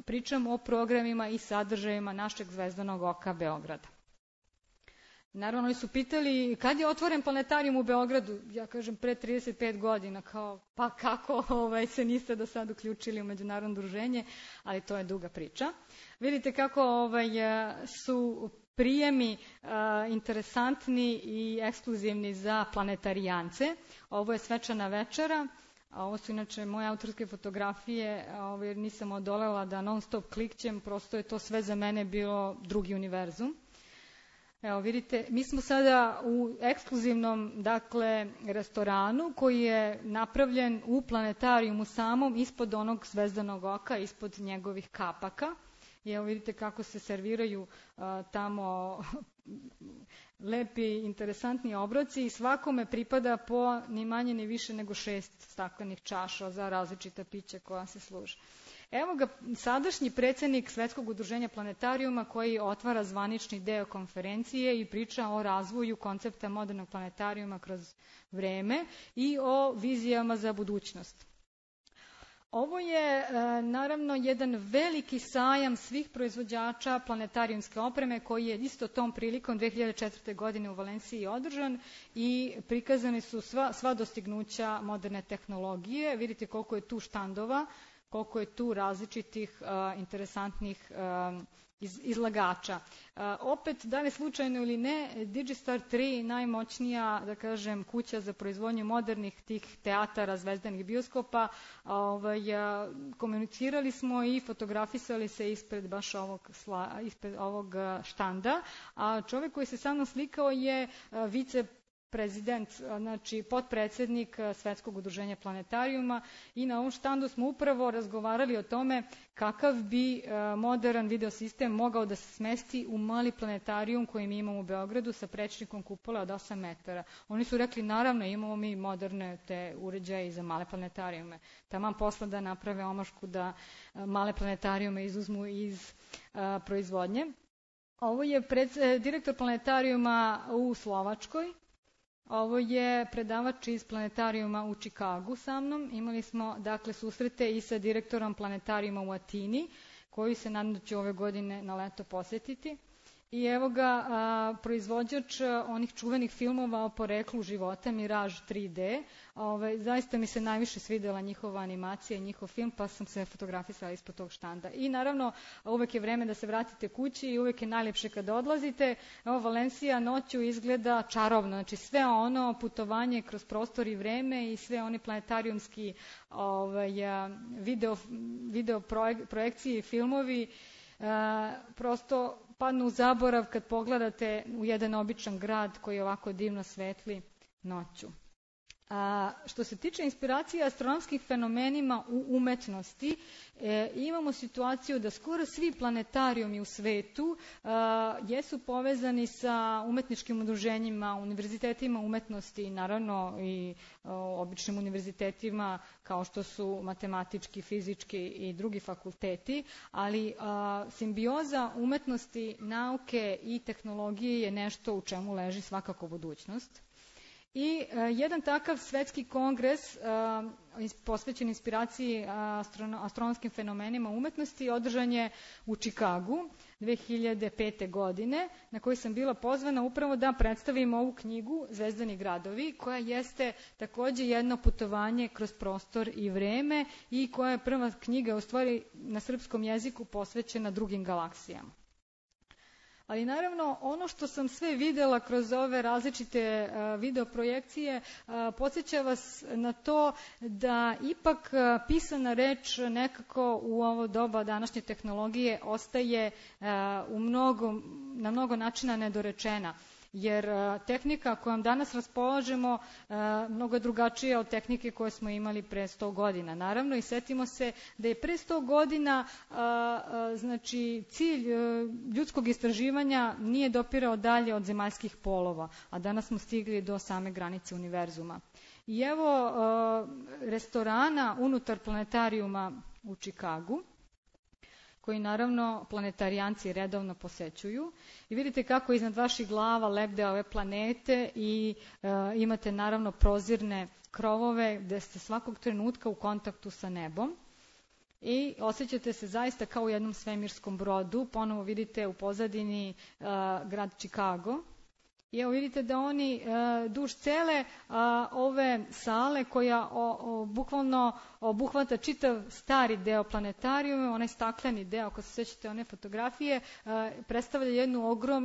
pričam o programima i sadržajima našeg zvezdanog oka Beograda. Naravno, oni su pitali kad je otvoren planetarijum u Beogradu. Ja kažem pre 35 godina, pa kako se niste do sad uključili u međunarodno udruženje, ali to je duga priča. Vidite kako su prijemi interesantni i ekskluzivni za planetarijance. Ovo je svečana večera, a ovo su inače moje autorske fotografije, jer nisam odolela da non stop klikćem, prosto je to sve za mene bilo drugi univerzum. Evo vidite, mi smo sada u ekskluzivnom restoranu koji je napravljen u planetarijumu samom ispod onog zvezdanog oka, ispod njegovih kapaka. I evo vidite kako se serviraju tamo lepi, interesantni obroci i svakome pripada po ni manje ni više nego 6 staklenih čaša za različita pića koja se služe. Evo ga sadašnji predsjednik Svetskog udruženja planetarijuma koji otvara zvanični deo konferencije i priča o razvoju koncepta modernog planetarijuma kroz vreme i o vizijama za budućnost. Ovo je naravno jedan veliki sajam svih proizvođača planetarijumske opreme koji je isto tom prilikom 2004. godine u Valenciji održan i prikazani su sva dostignuća moderne tehnologije. Vidite koliko je tu štandova koliko je tu različitih interesantnih izlagača. Opet, da li slučajno ili ne, Digistar 3, najmoćnija, da kažem, kuća za proizvodnju modernih tih teatara, zvezdanih bioskopa, komunicirali smo i fotografisali se ispred baš ovog štanda, a čovjek koji se sa mnom slikao je viceprezident, znači potpredsjednik Svetskog udruženja planetarijuma, i na ovom štandu smo upravo razgovarali o tome kakav bi modern videosistem mogao da se smesti u mali planetarijum koji mi imamo u Beogradu sa prečnikom kupola od 8 metara. Oni su rekli, naravno, imamo mi moderne te uređaje za male planetarijume. Taman posla da naprave omašku da male planetarijume izuzmu iz proizvodnje. Ovo je direktor planetarijuma u Slovačkoj. Ovo je predavač iz planetarijuma u Čikagu sa mnom. Imali smo, dakle, susrete i sa direktorom planetarijuma u Atini, koji se nadam da će ove godine na leto posjetiti. I evo ga proizvođač onih čuvenih filmova o poreklu života, Mirage 3D. Zaista mi se najviše svidjela njihova animacija i njihov film, pa sam se fotografisala ispod tog štanda. I naravno, uvek je vreme da se vratite kući i uvek je najljepše kada odlazite. Evo, Valencija noću izgleda čarobno. Znači, sve ono putovanje kroz prostor i vreme i sve oni planetarijumski video projekcije i filmovi prosto padnu u zaborav kad pogledate u jedan običan grad koji ovako divno svetli noću. Što se tiče inspiracije astronomskih fenomenima u umetnosti, imamo situaciju da skoro svi planetarijumi u svetu jesu povezani sa umetničkim udruženjima, univerzitetima umetnosti i naravno i običnim univerzitetima kao što su matematički, fizički i drugi fakulteti, ali simbioza umetnosti, nauke i tehnologije je nešto u čemu leži svakako budućnost. I jedan takav svetski kongres posvećen inspiraciji astronomskim fenomenima umetnosti održan je u Čikagu 2005. godine, na koji sam bila pozvana upravo da predstavim ovu knjigu Zvezdani gradovi, koja jeste takođe jedno putovanje kroz prostor i vreme i koja je prva knjiga u stvari na srpskom jeziku posvećena drugim galaksijama. Ali naravno, ono što sam sve videla kroz ove različite videoprojekcije podsjeća vas na to da ipak pisana reč nekako u ovo doba današnje tehnologije ostaje na mnogo načina nedorečena. Jer tehnika kojom danas raspolažemo mnogo je drugačija od tehnike koje smo imali pre 100 godina. Naravno, i setimo se da je pre 100 godina znači, cilj ljudskog istraživanja nije dopirao dalje od zemaljskih polova, a danas smo stigli do same granice univerzuma. I evo restorana unutar planetarijuma u Čikagu, koji naravno planetarijanci redovno posećuju. I vidite kako iznad vaših glava lebde ove planete i imate naravno prozirne krovove gde ste svakog trenutka u kontaktu sa nebom. I osjećate se zaista kao u jednom svemirskom brodu. Ponovo vidite u pozadini grad Čikago. I evo vidite da oni duž cele ove sale koja bukvalno obuhvata čitav stari deo planetarijuma, onaj stakleni deo, ako se sjećate one fotografije, predstavlja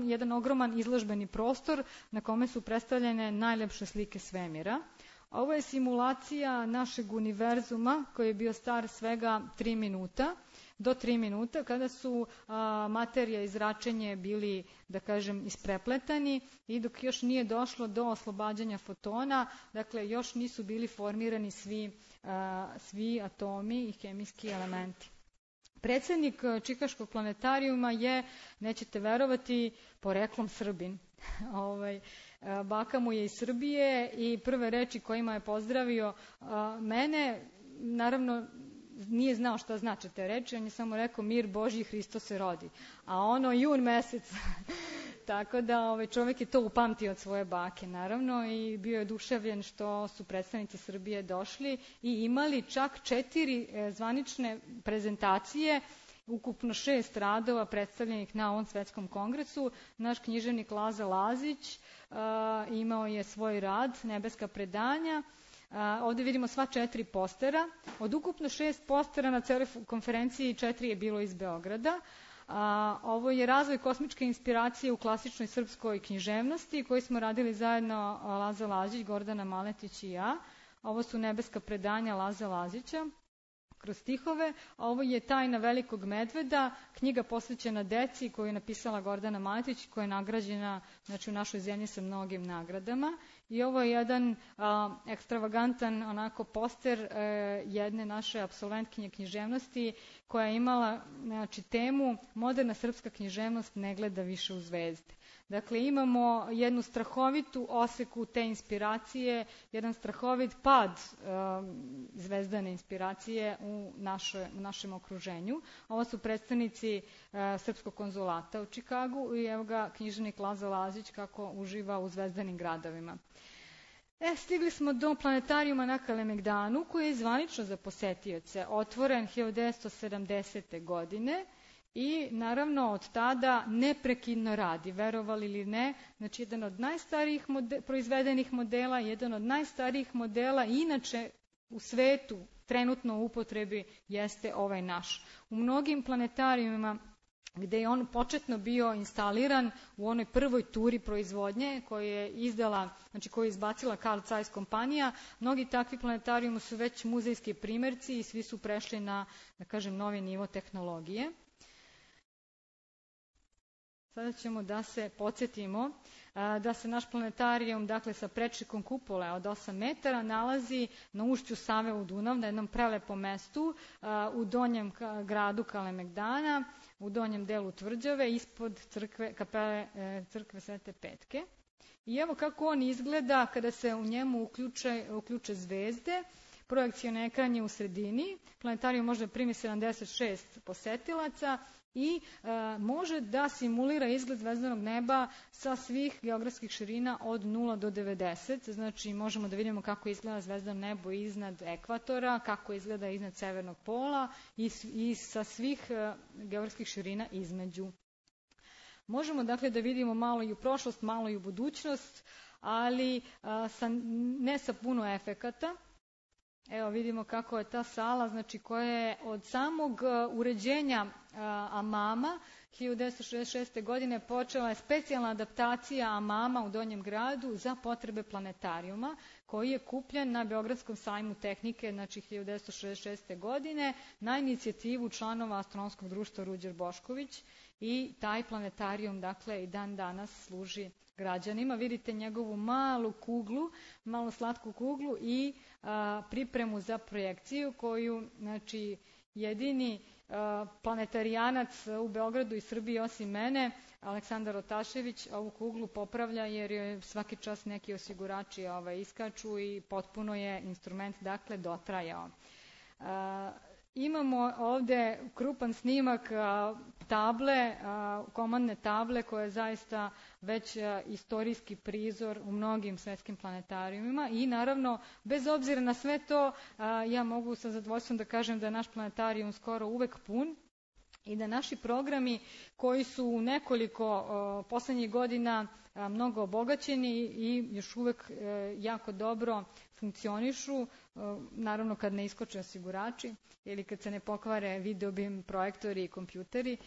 jedan ogroman izložbeni prostor na kome su predstavljene najlepše slike svemira. Ovo je simulacija našeg univerzuma koji je bio star svega 3 minuta. Do 3 minuta, kada su materija i zračenje bili, da kažem, isprepletani i dok još nije došlo do oslobađanja fotona, dakle još nisu bili formirani svi atomi i hemijski elementi. Predsjednik Čikaškog planetarijuma je, nećete verovati, poreklom Srbin. Baka mu je iz Srbije i prve reči kojima je pozdravio mene, naravno, nije znao šta znače te reči, on je samo rekao mir Božji, Hristo se rodi. A ono jun mesec, tako da čovjek je to upamtio od svoje bake, naravno, i bio je oduševljen što su predstavnici Srbije došli i imali čak 4 zvanične prezentacije, ukupno 6 radova predstavljenih na ovom svetskom kongresu. Naš književnik Laza Lazić imao je svoj rad, Nebeska predanja. Ovdje vidimo sva 4 postera. Od ukupno 6 postera na celoj konferenciji 4 je bilo iz Beograda. Ovo je razvoj kosmičke inspiracije u klasičnoj srpskoj književnosti koji smo radili zajedno Laza Lazić, Gordana Maletić i ja. Ovo su nebeska predanja Laze Lazića kroz stihove. Ovo je Tajna velikog medveda, knjiga posvećena deci koju je napisala Gordana Maletić, koja je nagrađena u našoj zemlji sa mnogim nagradama. I ovo je jedan ekstravagantan onako poster jedne naše apsolventkinje književnosti koja je imala temu Moderna srpska književnost ne gleda više u zvezde. Dakle, imamo jednu strahovitu oseku te inspiracije, jedan strahovit pad zvezdane inspiracije u našem okruženju. Ovo su predstavnici Srpskog konzulata u Čikagu i evo ga književnik Laza Lazić kako uživa u zvezdanim gradovima. Stigli smo do planetarijuma na Kalemegdanu koji je zvanično za posetioce otvoren 1970. godine. I naravno od tada neprekidno radi, verovali ili ne, znači jedan od najstarijih proizvedenih modela, jedan od najstarijih modela inače u svetu trenutno u upotrebi jeste ovaj naš. U mnogim planetarijumima gde je on početno bio instaliran u onoj prvoj turi proizvodnje koju je izdala, znači koju je izbacila Carl Zeiss kompanija, mnogi takvi planetarijumi su već muzejski primjerci i svi su prešli na, da kažem, novi nivo tehnologije. Sada ćemo da se podsjetimo da se naš planetarijum, dakle sa prečnikom kupole od 8 metara, nalazi na ušću Save u Dunav, na jednom prelepom mestu u donjem gradu Kalemegdana, u donjem delu tvrđave, ispod kapele crkve Svete Petke. I evo kako on izgleda kada se u njemu uključe zvezde. Projekcioni ekran je u sredini, planetarijum može primi 76 posetilaca i može da simulira izgled zvezdanog neba sa svih geografskih širina od 0 do 90. Znači možemo da vidimo kako izgleda zvezdano nebo iznad ekvatora, kako izgleda iznad severnog pola i sa svih geografskih širina između. Možemo dakle da vidimo malo i u prošlost, malo i u budućnost, ali ne sa puno efekata. Evo vidimo kako je ta sala, znači koja je od samog uređenja Amama 1966. godine počela je specijalna adaptacija Amama u Donjem gradu za potrebe planetarijuma koji je kupljen na Beogradskom sajmu tehnike, znači 1966. godine na inicijativu članova Astronomskog društva Ruđer Bošković i taj planetarijum dakle i dan danas služi građanima. Vidite njegovu malu kuglu, malo slatku kuglu i pripremu za projekciju koju, znači, jedini planetarijanac u Beogradu i Srbiji osim mene, Aleksandar Otašević, ovu kuglu popravlja jer je svaki čas neki osigurači iskaču i potpuno je instrument dakle dotrajao. Imamo ovdje krupan snimak table, komandne table koja je zaista već istorijski prizor u mnogim svetskim planetarijumima i naravno bez obzira na sve to ja mogu sa zadovoljstvom da kažem da je naš planetarijum skoro uvek pun i da naši programi koji su u nekoliko poslednjih godina mnogo obogaćeni i još uvek jako dobro funkcionišu, naravno kad ne iskoče osigurači ili kad se ne pokvare videobim projektori i kompjuteri.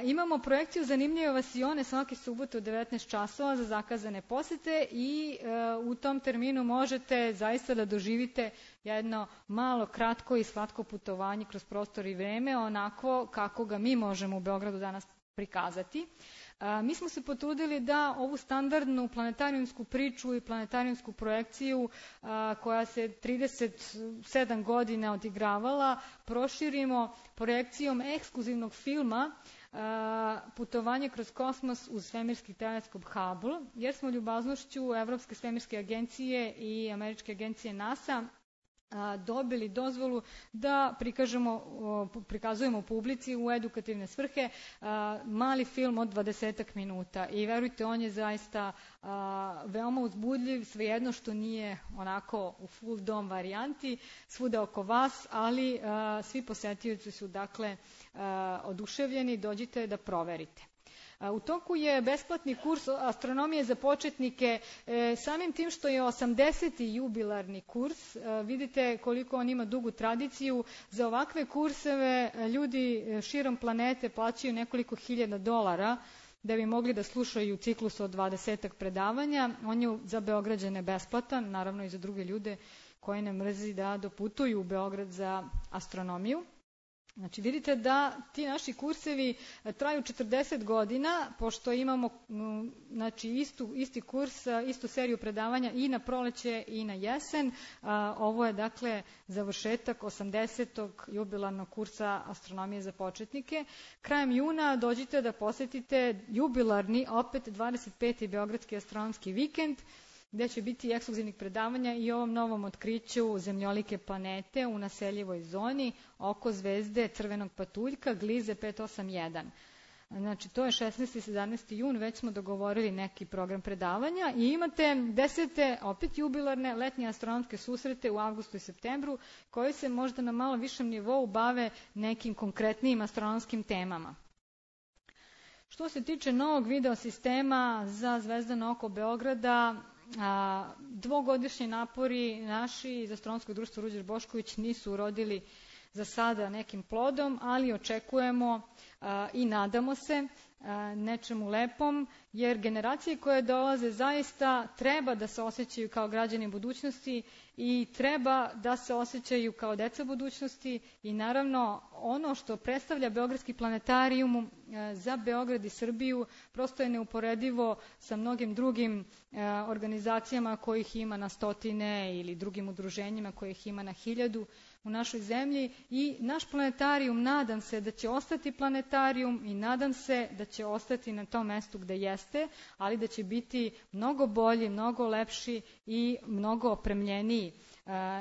Imamo projekciju Zanimljive vasione svake subote u 19 časova za zakazane posete i u tom terminu možete zaista da doživite jedno malo, kratko i slatko putovanje kroz prostor i vreme, onako kako ga mi možemo u Beogradu danas prikazati. Mi smo se potrudili da ovu standardnu planetarijumsku priču i planetarijumsku projekciju koja se 37 godina odigravala proširimo projekcijom ekskluzivnog filma Putovanje kroz kosmos uz svemirski teleskop Hubble, jer smo ljubaznošću Evropske svemirske agencije i američke agencije NASA dobili dozvolu da prikazujemo publici u edukativne svrhe mali film od 20 minuta i verujte on je zaista veoma uzbudljiv, svejedno što nije onako u full dom varijanti svuda oko vas, ali svi posetioci su dakle oduševljeni, dođite da proverite. U toku je besplatni kurs astronomije za početnike, samim tim što je 80. jubilarni kurs, vidite koliko on ima dugu tradiciju. Za ovakve kurseve ljudi širom planete plaćaju nekoliko hiljada dolara da bi mogli da slušaju ciklus od 20 predavanja. On je za Beograđane besplatan, naravno i za druge ljude koji ne mrzi da doputuju u Beograd za astronomiju. Znači vidite da ti naši kursevi traju 40 godina, pošto imamo isti kurs, istu seriju predavanja i na proleće i na jesen. Ovo je dakle završetak 80. jubilarnog kursa astronomije za početnike. Krajem juna dođite da posetite jubilarni, opet 25. Beogradski astronomski vikend, gde će biti ekskluzivnih predavanja i ovom novom otkriću zemljolike planete u naseljivoj zoni oko zvezde crvenog patuljka Glize 581. Znači, to je 16. i 17. jun, već smo dogovorili neki program predavanja i imate 10. opet jubilarne letnje astronomske susrete u avgustu i septembru, koji se možda na malo višem nivou bave nekim konkretnijim astronomskim temama. Što se tiče novog video sistema za zvezdano oko Beograda, dvogodišnji napori naši iz Astronomskog društva Ruđer Bošković nisu urodili za sada nekim plodom, ali očekujemo i nadamo se nečemu lepom, jer generacije koje dolaze zaista treba da se osjećaju kao građani budućnosti i treba da se osjećaju kao deca budućnosti i naravno ono što predstavlja Beogradski planetarijum za Beograd i Srbiju prosto je neuporedivo sa mnogim drugim organizacijama kojih ima na stotine ili drugim udruženjima kojih ima na 1000 u našoj zemlji i naš planetarijum nadam se da će ostati planetarijum i nadam se da će ostati na tom mestu gde jeste, ali da će biti mnogo bolji, mnogo lepši i mnogo opremljeniji.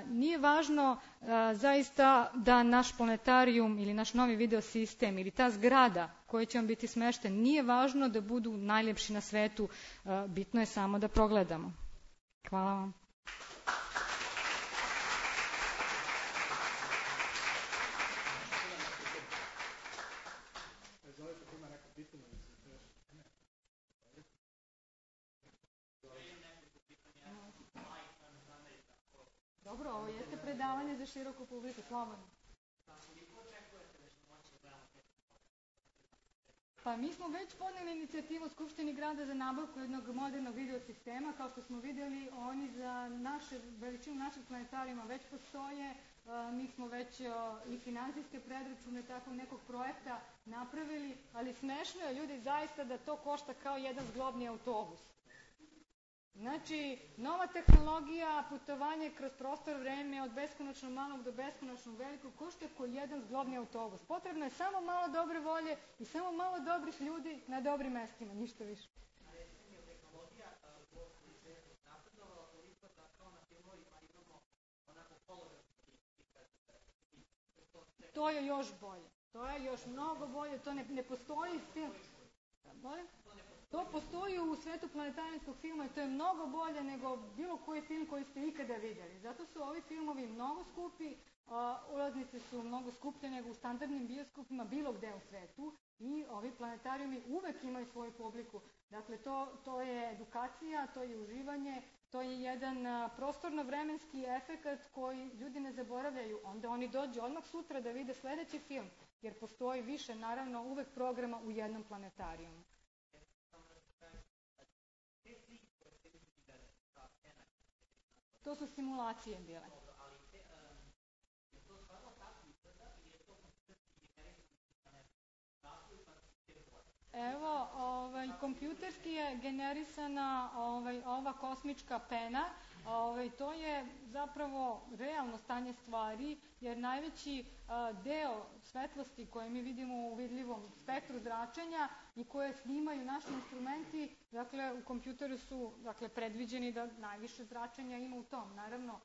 Nije važno zaista da naš planetarijum ili naš novi video sistem ili ta zgrada koja će vam biti smešten, nije važno da budu najljepši na svetu, bitno je samo da progledamo. Hvala vam. Dobro, ovo jeste predavanje za široku publiku, slobodno. Pa mi smo već podneli inicijativu Skupštini grada za nabavku jednog modernog video sistema. Kao što smo vidjeli, oni za veličinu našeg planetarijuma već postoje. Mi smo već i finansijske predračune takvog nekog projekta napravili, ali smešno je ljudi zaista da to košta kao jedan zglobni autobus. Znači, nova tehnologija, putovanje kroz prostor vreme od beskonačno malog do beskonačno velikog košta kao jedan zglobni autobus. Potrebno je samo malo dobre volje i samo malo dobrih ljudi na dobrim mestima, ništa više. To je još bolje. To je još mnogo bolje. To ne postoji film. Molim? To postoji u svetu planetarijskog filma i to je mnogo bolje nego bilo koji film koji ste ikada vidjeli. Zato su ovi filmovi mnogo skupi, ulaznice su mnogo skuplje nego u standardnim bioskopima bilo gde u svetu i ovi planetarijumi uvek imaju svoju publiku. Dakle, to je edukacija, to je uživanje, to je jedan prostorno-vremenski efekat koji ljudi ne zaboravljaju. Onda oni dođu odmah sutra da vide sledeći film, jer postoji više, naravno, uvek programa u jednom planetarijumu. To su simulacije bile. Evo, kompjuterski je generisana ova kosmička pena. To je zapravo realno stanje stvari, jer najveći deo svetlosti koje mi vidimo u vidljivom spektru zračenja i koje snimaju naši instrumenti, dakle, u kompjuteru su predviđeni da najviše zračenja ima u tom. Naravno,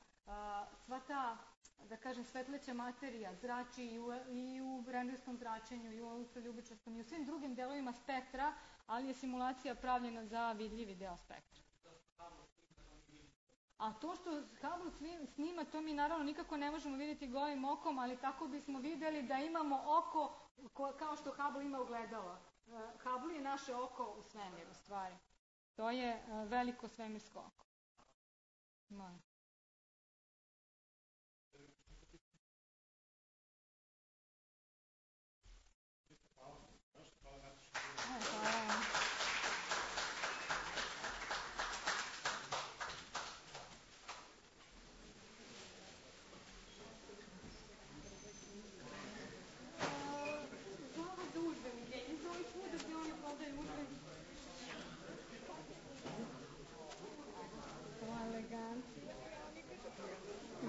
sva ta, da kažem, svetleća materija zrači i u rendgerskom zračenju, i u ultraljubičastom, i u svim drugim delovima spektra, ali je simulacija pravljena za vidljivi deo spektra. A to što Hubble snima, to mi naravno nikako ne možemo vidjeti golim okom, ali tako bismo vidjeli da imamo oko kao što Hubble ima ogledalo. Hubble je naše oko u svemiru, stvari. To je veliko svemirsko oko. Molim.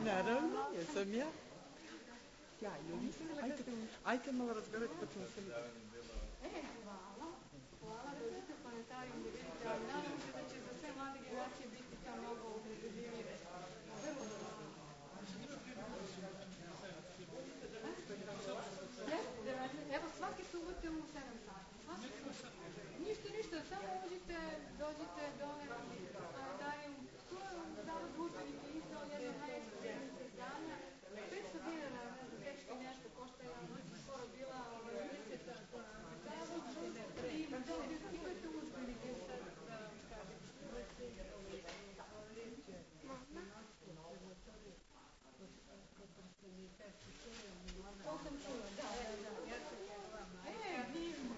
Naravno, jesam ja. Sjajno, ajte malo razgovarati pa ćemo se... Hvala, dođite u planetarijum da vidite, ali nadam se da će za sve mlade generacije biti to mnogo uzbudljivije. Vrlo dobro. Evo, svake subote u 7 sati. Ništa, samo uđite, dođite dole u planetarijum. To je zavod udžbenike izdao jedno najekskluzivnih izdanja. 500 dinara, ne znam, teško nešto košta, ja skoro bila uniseta. Zavod ima, imate udžbenike sad, da kažem. To sam čula, da. Divno.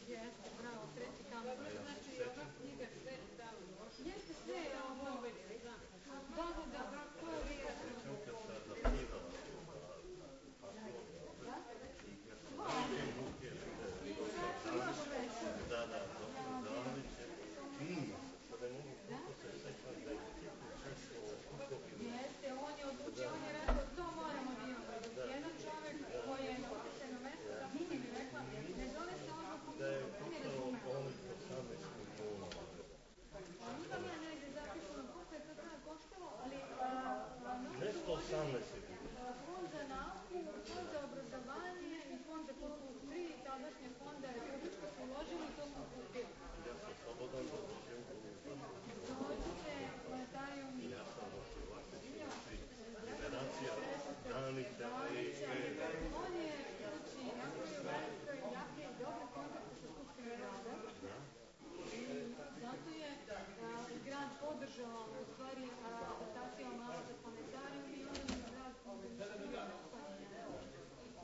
Jeste, bravo, treći kamen. Znači, ova knjiga sve tamo. Jeste sve, ovo. Da, ko je uvijek? Jeste, on je odlučio, on je rekao, to moramo da imamo. Jedan čovjek koji je na upisano mesto, da mi mi rekla, ne zove se odluku, to ne razume. Imam ja negdje zapisano koliko je to tada koštalo, ali fond za nauku, fond za obrazovanje i fond za kulturu, 3 tadašnje fonda republičko su uložili i to smo kupili. Ja sam slobodan da dođem u Dođite, planetarijum. Ja sam generacija Danica i on je napravio jake i dobre kontakte sa Skupštinom grada. I zato je grad podržao u stvari adaptaciju mala za planetarijum i onda je grad podržao.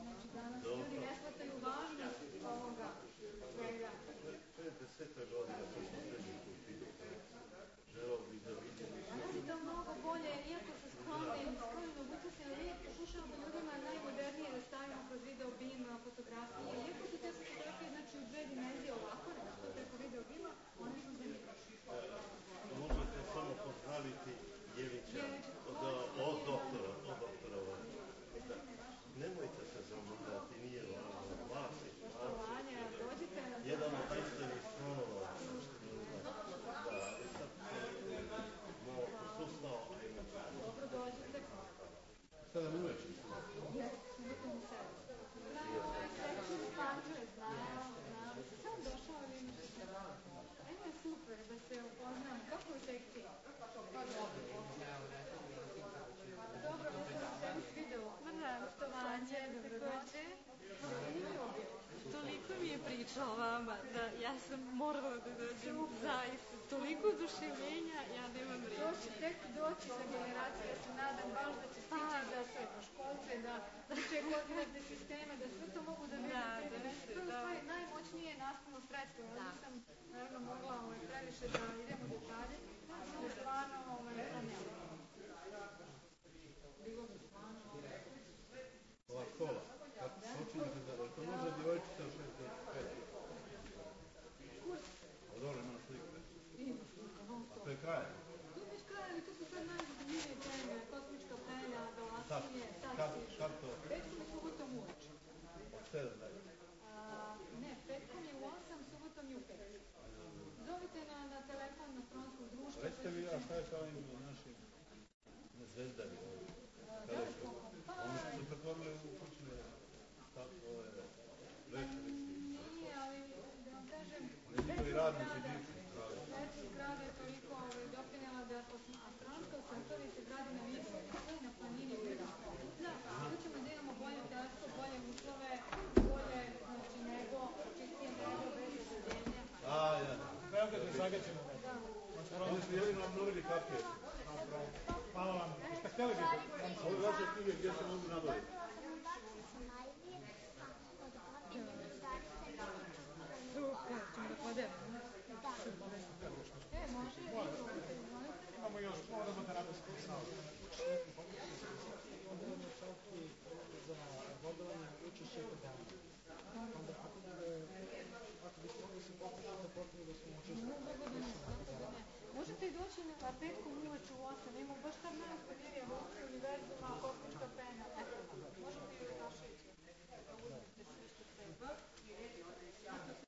Znači danas ljudi ne shvataju važnost ovoga svega. 50 godina sam se sređen kultivu. Želao bih da vidim. Danas je to mnogo bolje, iako se sklonimo mogućnosti, ali pokušavamo ljudima najmodernije da stavimo kroz video bima, fotografije. Iako su te fotografije znači u 2 dimenzije ovako, nešto preko video bima, one su zanimljive. Možete samo pozdraviti Jevića od doktora. Nemojte se zamorati, nije važno. Vas je Poštovanje, dođite na... Jedan od najstarijih slonova. Da, ali sad malo posustao. Dobro, dođite. Sada uveče. Jeste, subotom u 7. Sektor Pančeve, znam. Sam došao ili imaš što? Ajmo je super da se upoznam. Kako je u sekciji? Pa dobro, ne sam se mi svidjelo. Poštovanje, dobrodošli. Toliko mi je pričao vama da ja sam morala da dođem zaista. Toliko oduševljenja, ja nemam reći. To će tek doći za generacije, ja se nadam baš da će stići za srednjoškolce, da uče koordinatne sisteme, da sve to mogu da vide. To je u stvari najmoćnije nastavno sredstvo. Ja sam naravno mogla previše da idem u detalje, ali stvarno to nema. Bilo bi stvarno... Ova škola, počinjete da to može djevojčica u 6 do 5. Kurs. Dobro, ima slike. Ima slika, non stop. A to je kraj? To je već kraj, ali to su sad najzanimljivije teme, kosmička penja, galaksije, Kad to? Petkom i subotom uveče. Od 7 dalje? Ne, petkom je u 8, subotom je u 5. Zovite na telefon na Frontskom društvu. Recite mi, a šta je sa ovim našim zvezdari ovdje? Teleskokom. Oni su se pretvorili u kućne večerici. Nije, ali da vam kažem, Njihovi radnici bivši. Svetlog grada je toliko doprinjela da astronomska observatorija se gradi na visokom na planini Vrhunskog Kutlja. Tu ćemo da imamo bolje teleskop, bolje uslove, bolje nebo, čistije nebo, bez zagađenja. Beograd je zagađeno. Oni su jedino obnovili kapije. Hvala vam. Šta htjeli bi? Ovo je vaše knjige gdje se mogu nabaviti. Super, ćemo da podelimo. Može. Imamo još, moramo da radimo smisao. Odredno čak i za bodovanje učešće programa. Onda ako bismo mogli se pokušati da potrebno da smo učestvili. Možete i doći na petkom uveče u 8, imamo baš tam najosnovnije